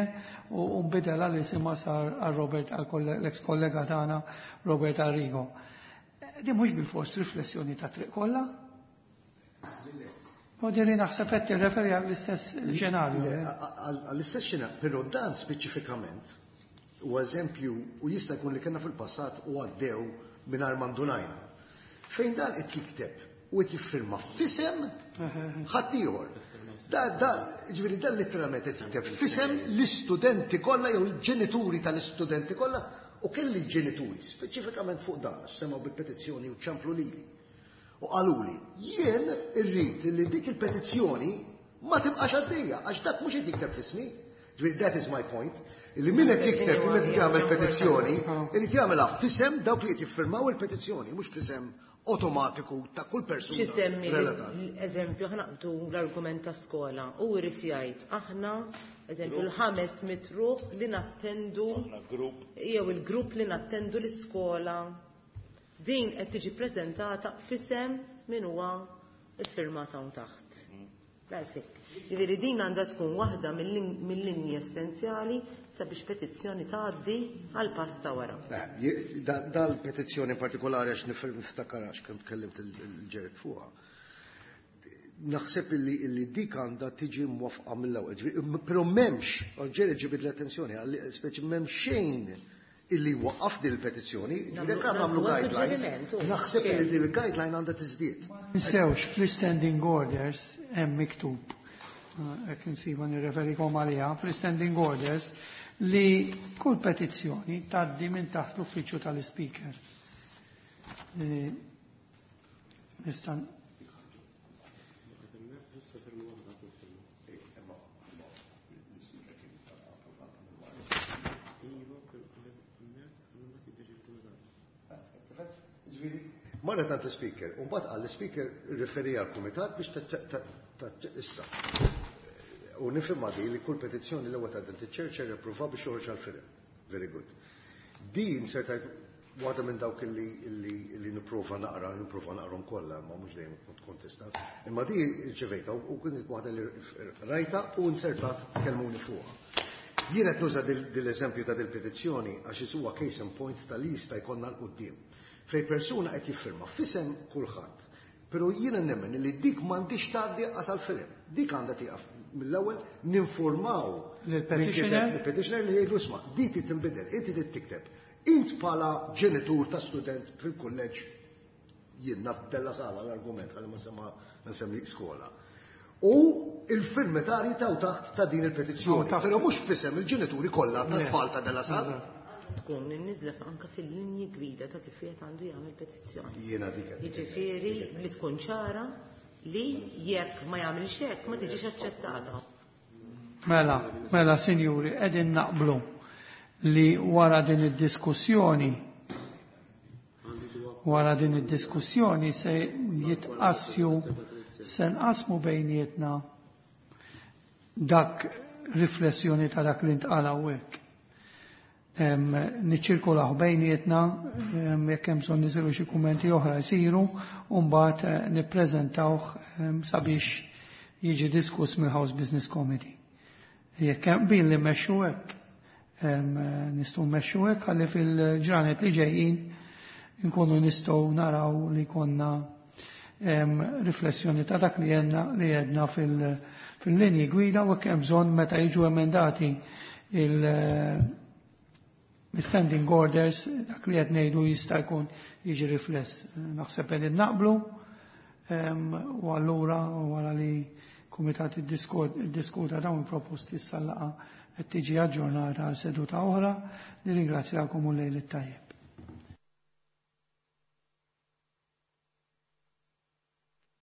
u nbidel għal isimha sar għal Robert, l-ex kollega tagħna Robert Arrigo. Di mhux bil-fors riflessjoni ta' triq kollha. U diri naħseb qed tirreferi għall-istess xenarju. Għall-istess xenarju, però dan speċifikament u eżempju u jista' jkun li kellna fil-passat u għaddew mingħajr mandunajna. Fejn dan qed jikteb u qed jiffirma f'isem ħaddieħor. Da, da, ġifieri dan literalment qed jikteb f'isem l-istudenti kollha jew il-ġenituri tal-istudenti kollha, u kelli ġenituri speċifikament fuq dan għax semgħu bil-petizzjoni u ċemplu lili. U qaluli, jien irrid li dik il-petizzjoni ma tibqax għaddejja għax dak mhux qed jikteb f'ismi. Ġifieri that is my point. Li min qed jikteb, min qed jagħmel petizzjoni, irid jagħmilha f'isem dawk li qed jiffirmaw il-petizzjoni, mhux f'isem automatiku ta' kull persuna. Xi relatata. Eżempju, ħa naqbdu l-argument ta' skola u jrid jgħid aħna, eżempju, l-ħames mitru li nattendu jew il-grupp li nattendu l-iskola, din qed tiġi preżentata f'isem min huwa iffirmata hawn taħt. Daqshekk. Jiġifieri din għandha tkun waħda mill-linji essenzjali sabiex petizzjoni tgħaddi għal pass ta' wara. Dal-petizzjoni partikolari, għax niftakar għax kemm tkellimt il-Ġerit fuqha. Naħseb illi dik għandha tiġi mwafqa mill-ewwel. Però m'hemmx, Ġerit ġibid l-attenzjoni, speċi m'hemm xejn illi waqqaf din il-petizzjoni, ġifieri jekk nagħmlu guidelines, naħseb illi din il-guideline għandha tiżdied. Ninsewx, fl-standing orders hemm miktub, hekk insiba nirreferikom għaliha, fl-standing orders li kull petizzjoni tgħaddi minn taħt l-uffiċċju tal-speaker. Nista' Marret għand l-speaker, u mbagħad għall speaker referi għall-kumitat biex issa. U nifhimha di li kull petizzjoni l-ewwel ta' iċ-chair, chair approva biex joħroġ għall-firem. Very good. Din sertajt waħda minn dawk li li nipprova naqra, nipprova naqrom kollha, ma mhux dejjem kont kontesta. Imma di rċevejta u kienet waħda li rajta u nsertat kelmuni fuqha. Jien qed nuża dil-eżempju ta' dil-petizzjoni għax huwa case in point ta' li jista' jkollna 'l quddiem. Fej persuna qed jiffirma f'isem kulħadd. Però jiena nemmen li dik m'għandix tgħaddi għal firem. Dik għandha tieqaf mill-ewwel, ninformaw lill-petitioner, il-petitioner li jgħidu, isma', di trid tinbidel, inti trid tikteb. Int bħala ġenitur ta' student fil-kulleġġ, jien naf Della Sala l-argument għal ma semma nsemmi skola. U il-firmatari taw taħt ta' din il-petizzjoni, però mhux f'isem il-ġenituri kollha ta' tfal ta' Della Sala. Tkun innizla anka fil-linji gwida ta' kif wieħed għandu jagħmel petizzjoni. Jiena dik. Jiġifieri li tkun ċara li jekk ma jagħmilx hekk ma tiġix aċċettata. Mela, mela, sinjuri, qegħdin naqblu li wara din id-diskussjoni wara din id-diskussjoni se jitqassju se nqasmu bejnietna dak riflessjoni ta' dak li ntqal hawnhekk. Niċċirkulaw bejnietna, jekk hemm bżonn nisiru xi kummenti oħra jsiru, u mbagħad eh, nippreżentawh sabiex jiġi diskuss mill-House Business Committee. Jekk hemm bil li mmexxu hekk, nistgħu mmexxu hekk ħalli fil-ġranet li ġejjin nkunu nistgħu naraw li konna riflessjoni ta' dak li għedna li għedna fil-linji gwida u hemm bżonn meta jiġu emendati il- standing orders dak li qed ngħidu jista' jkun jiġi rifless. Naħseb qegħdin naqblu u allura wara li kumitat iddiskuta dawn il-proposti issa l-laqgħa qed tiġi aġġornata għal seduta oħra. Nirringrazzjakom u lejl it-tajjeb.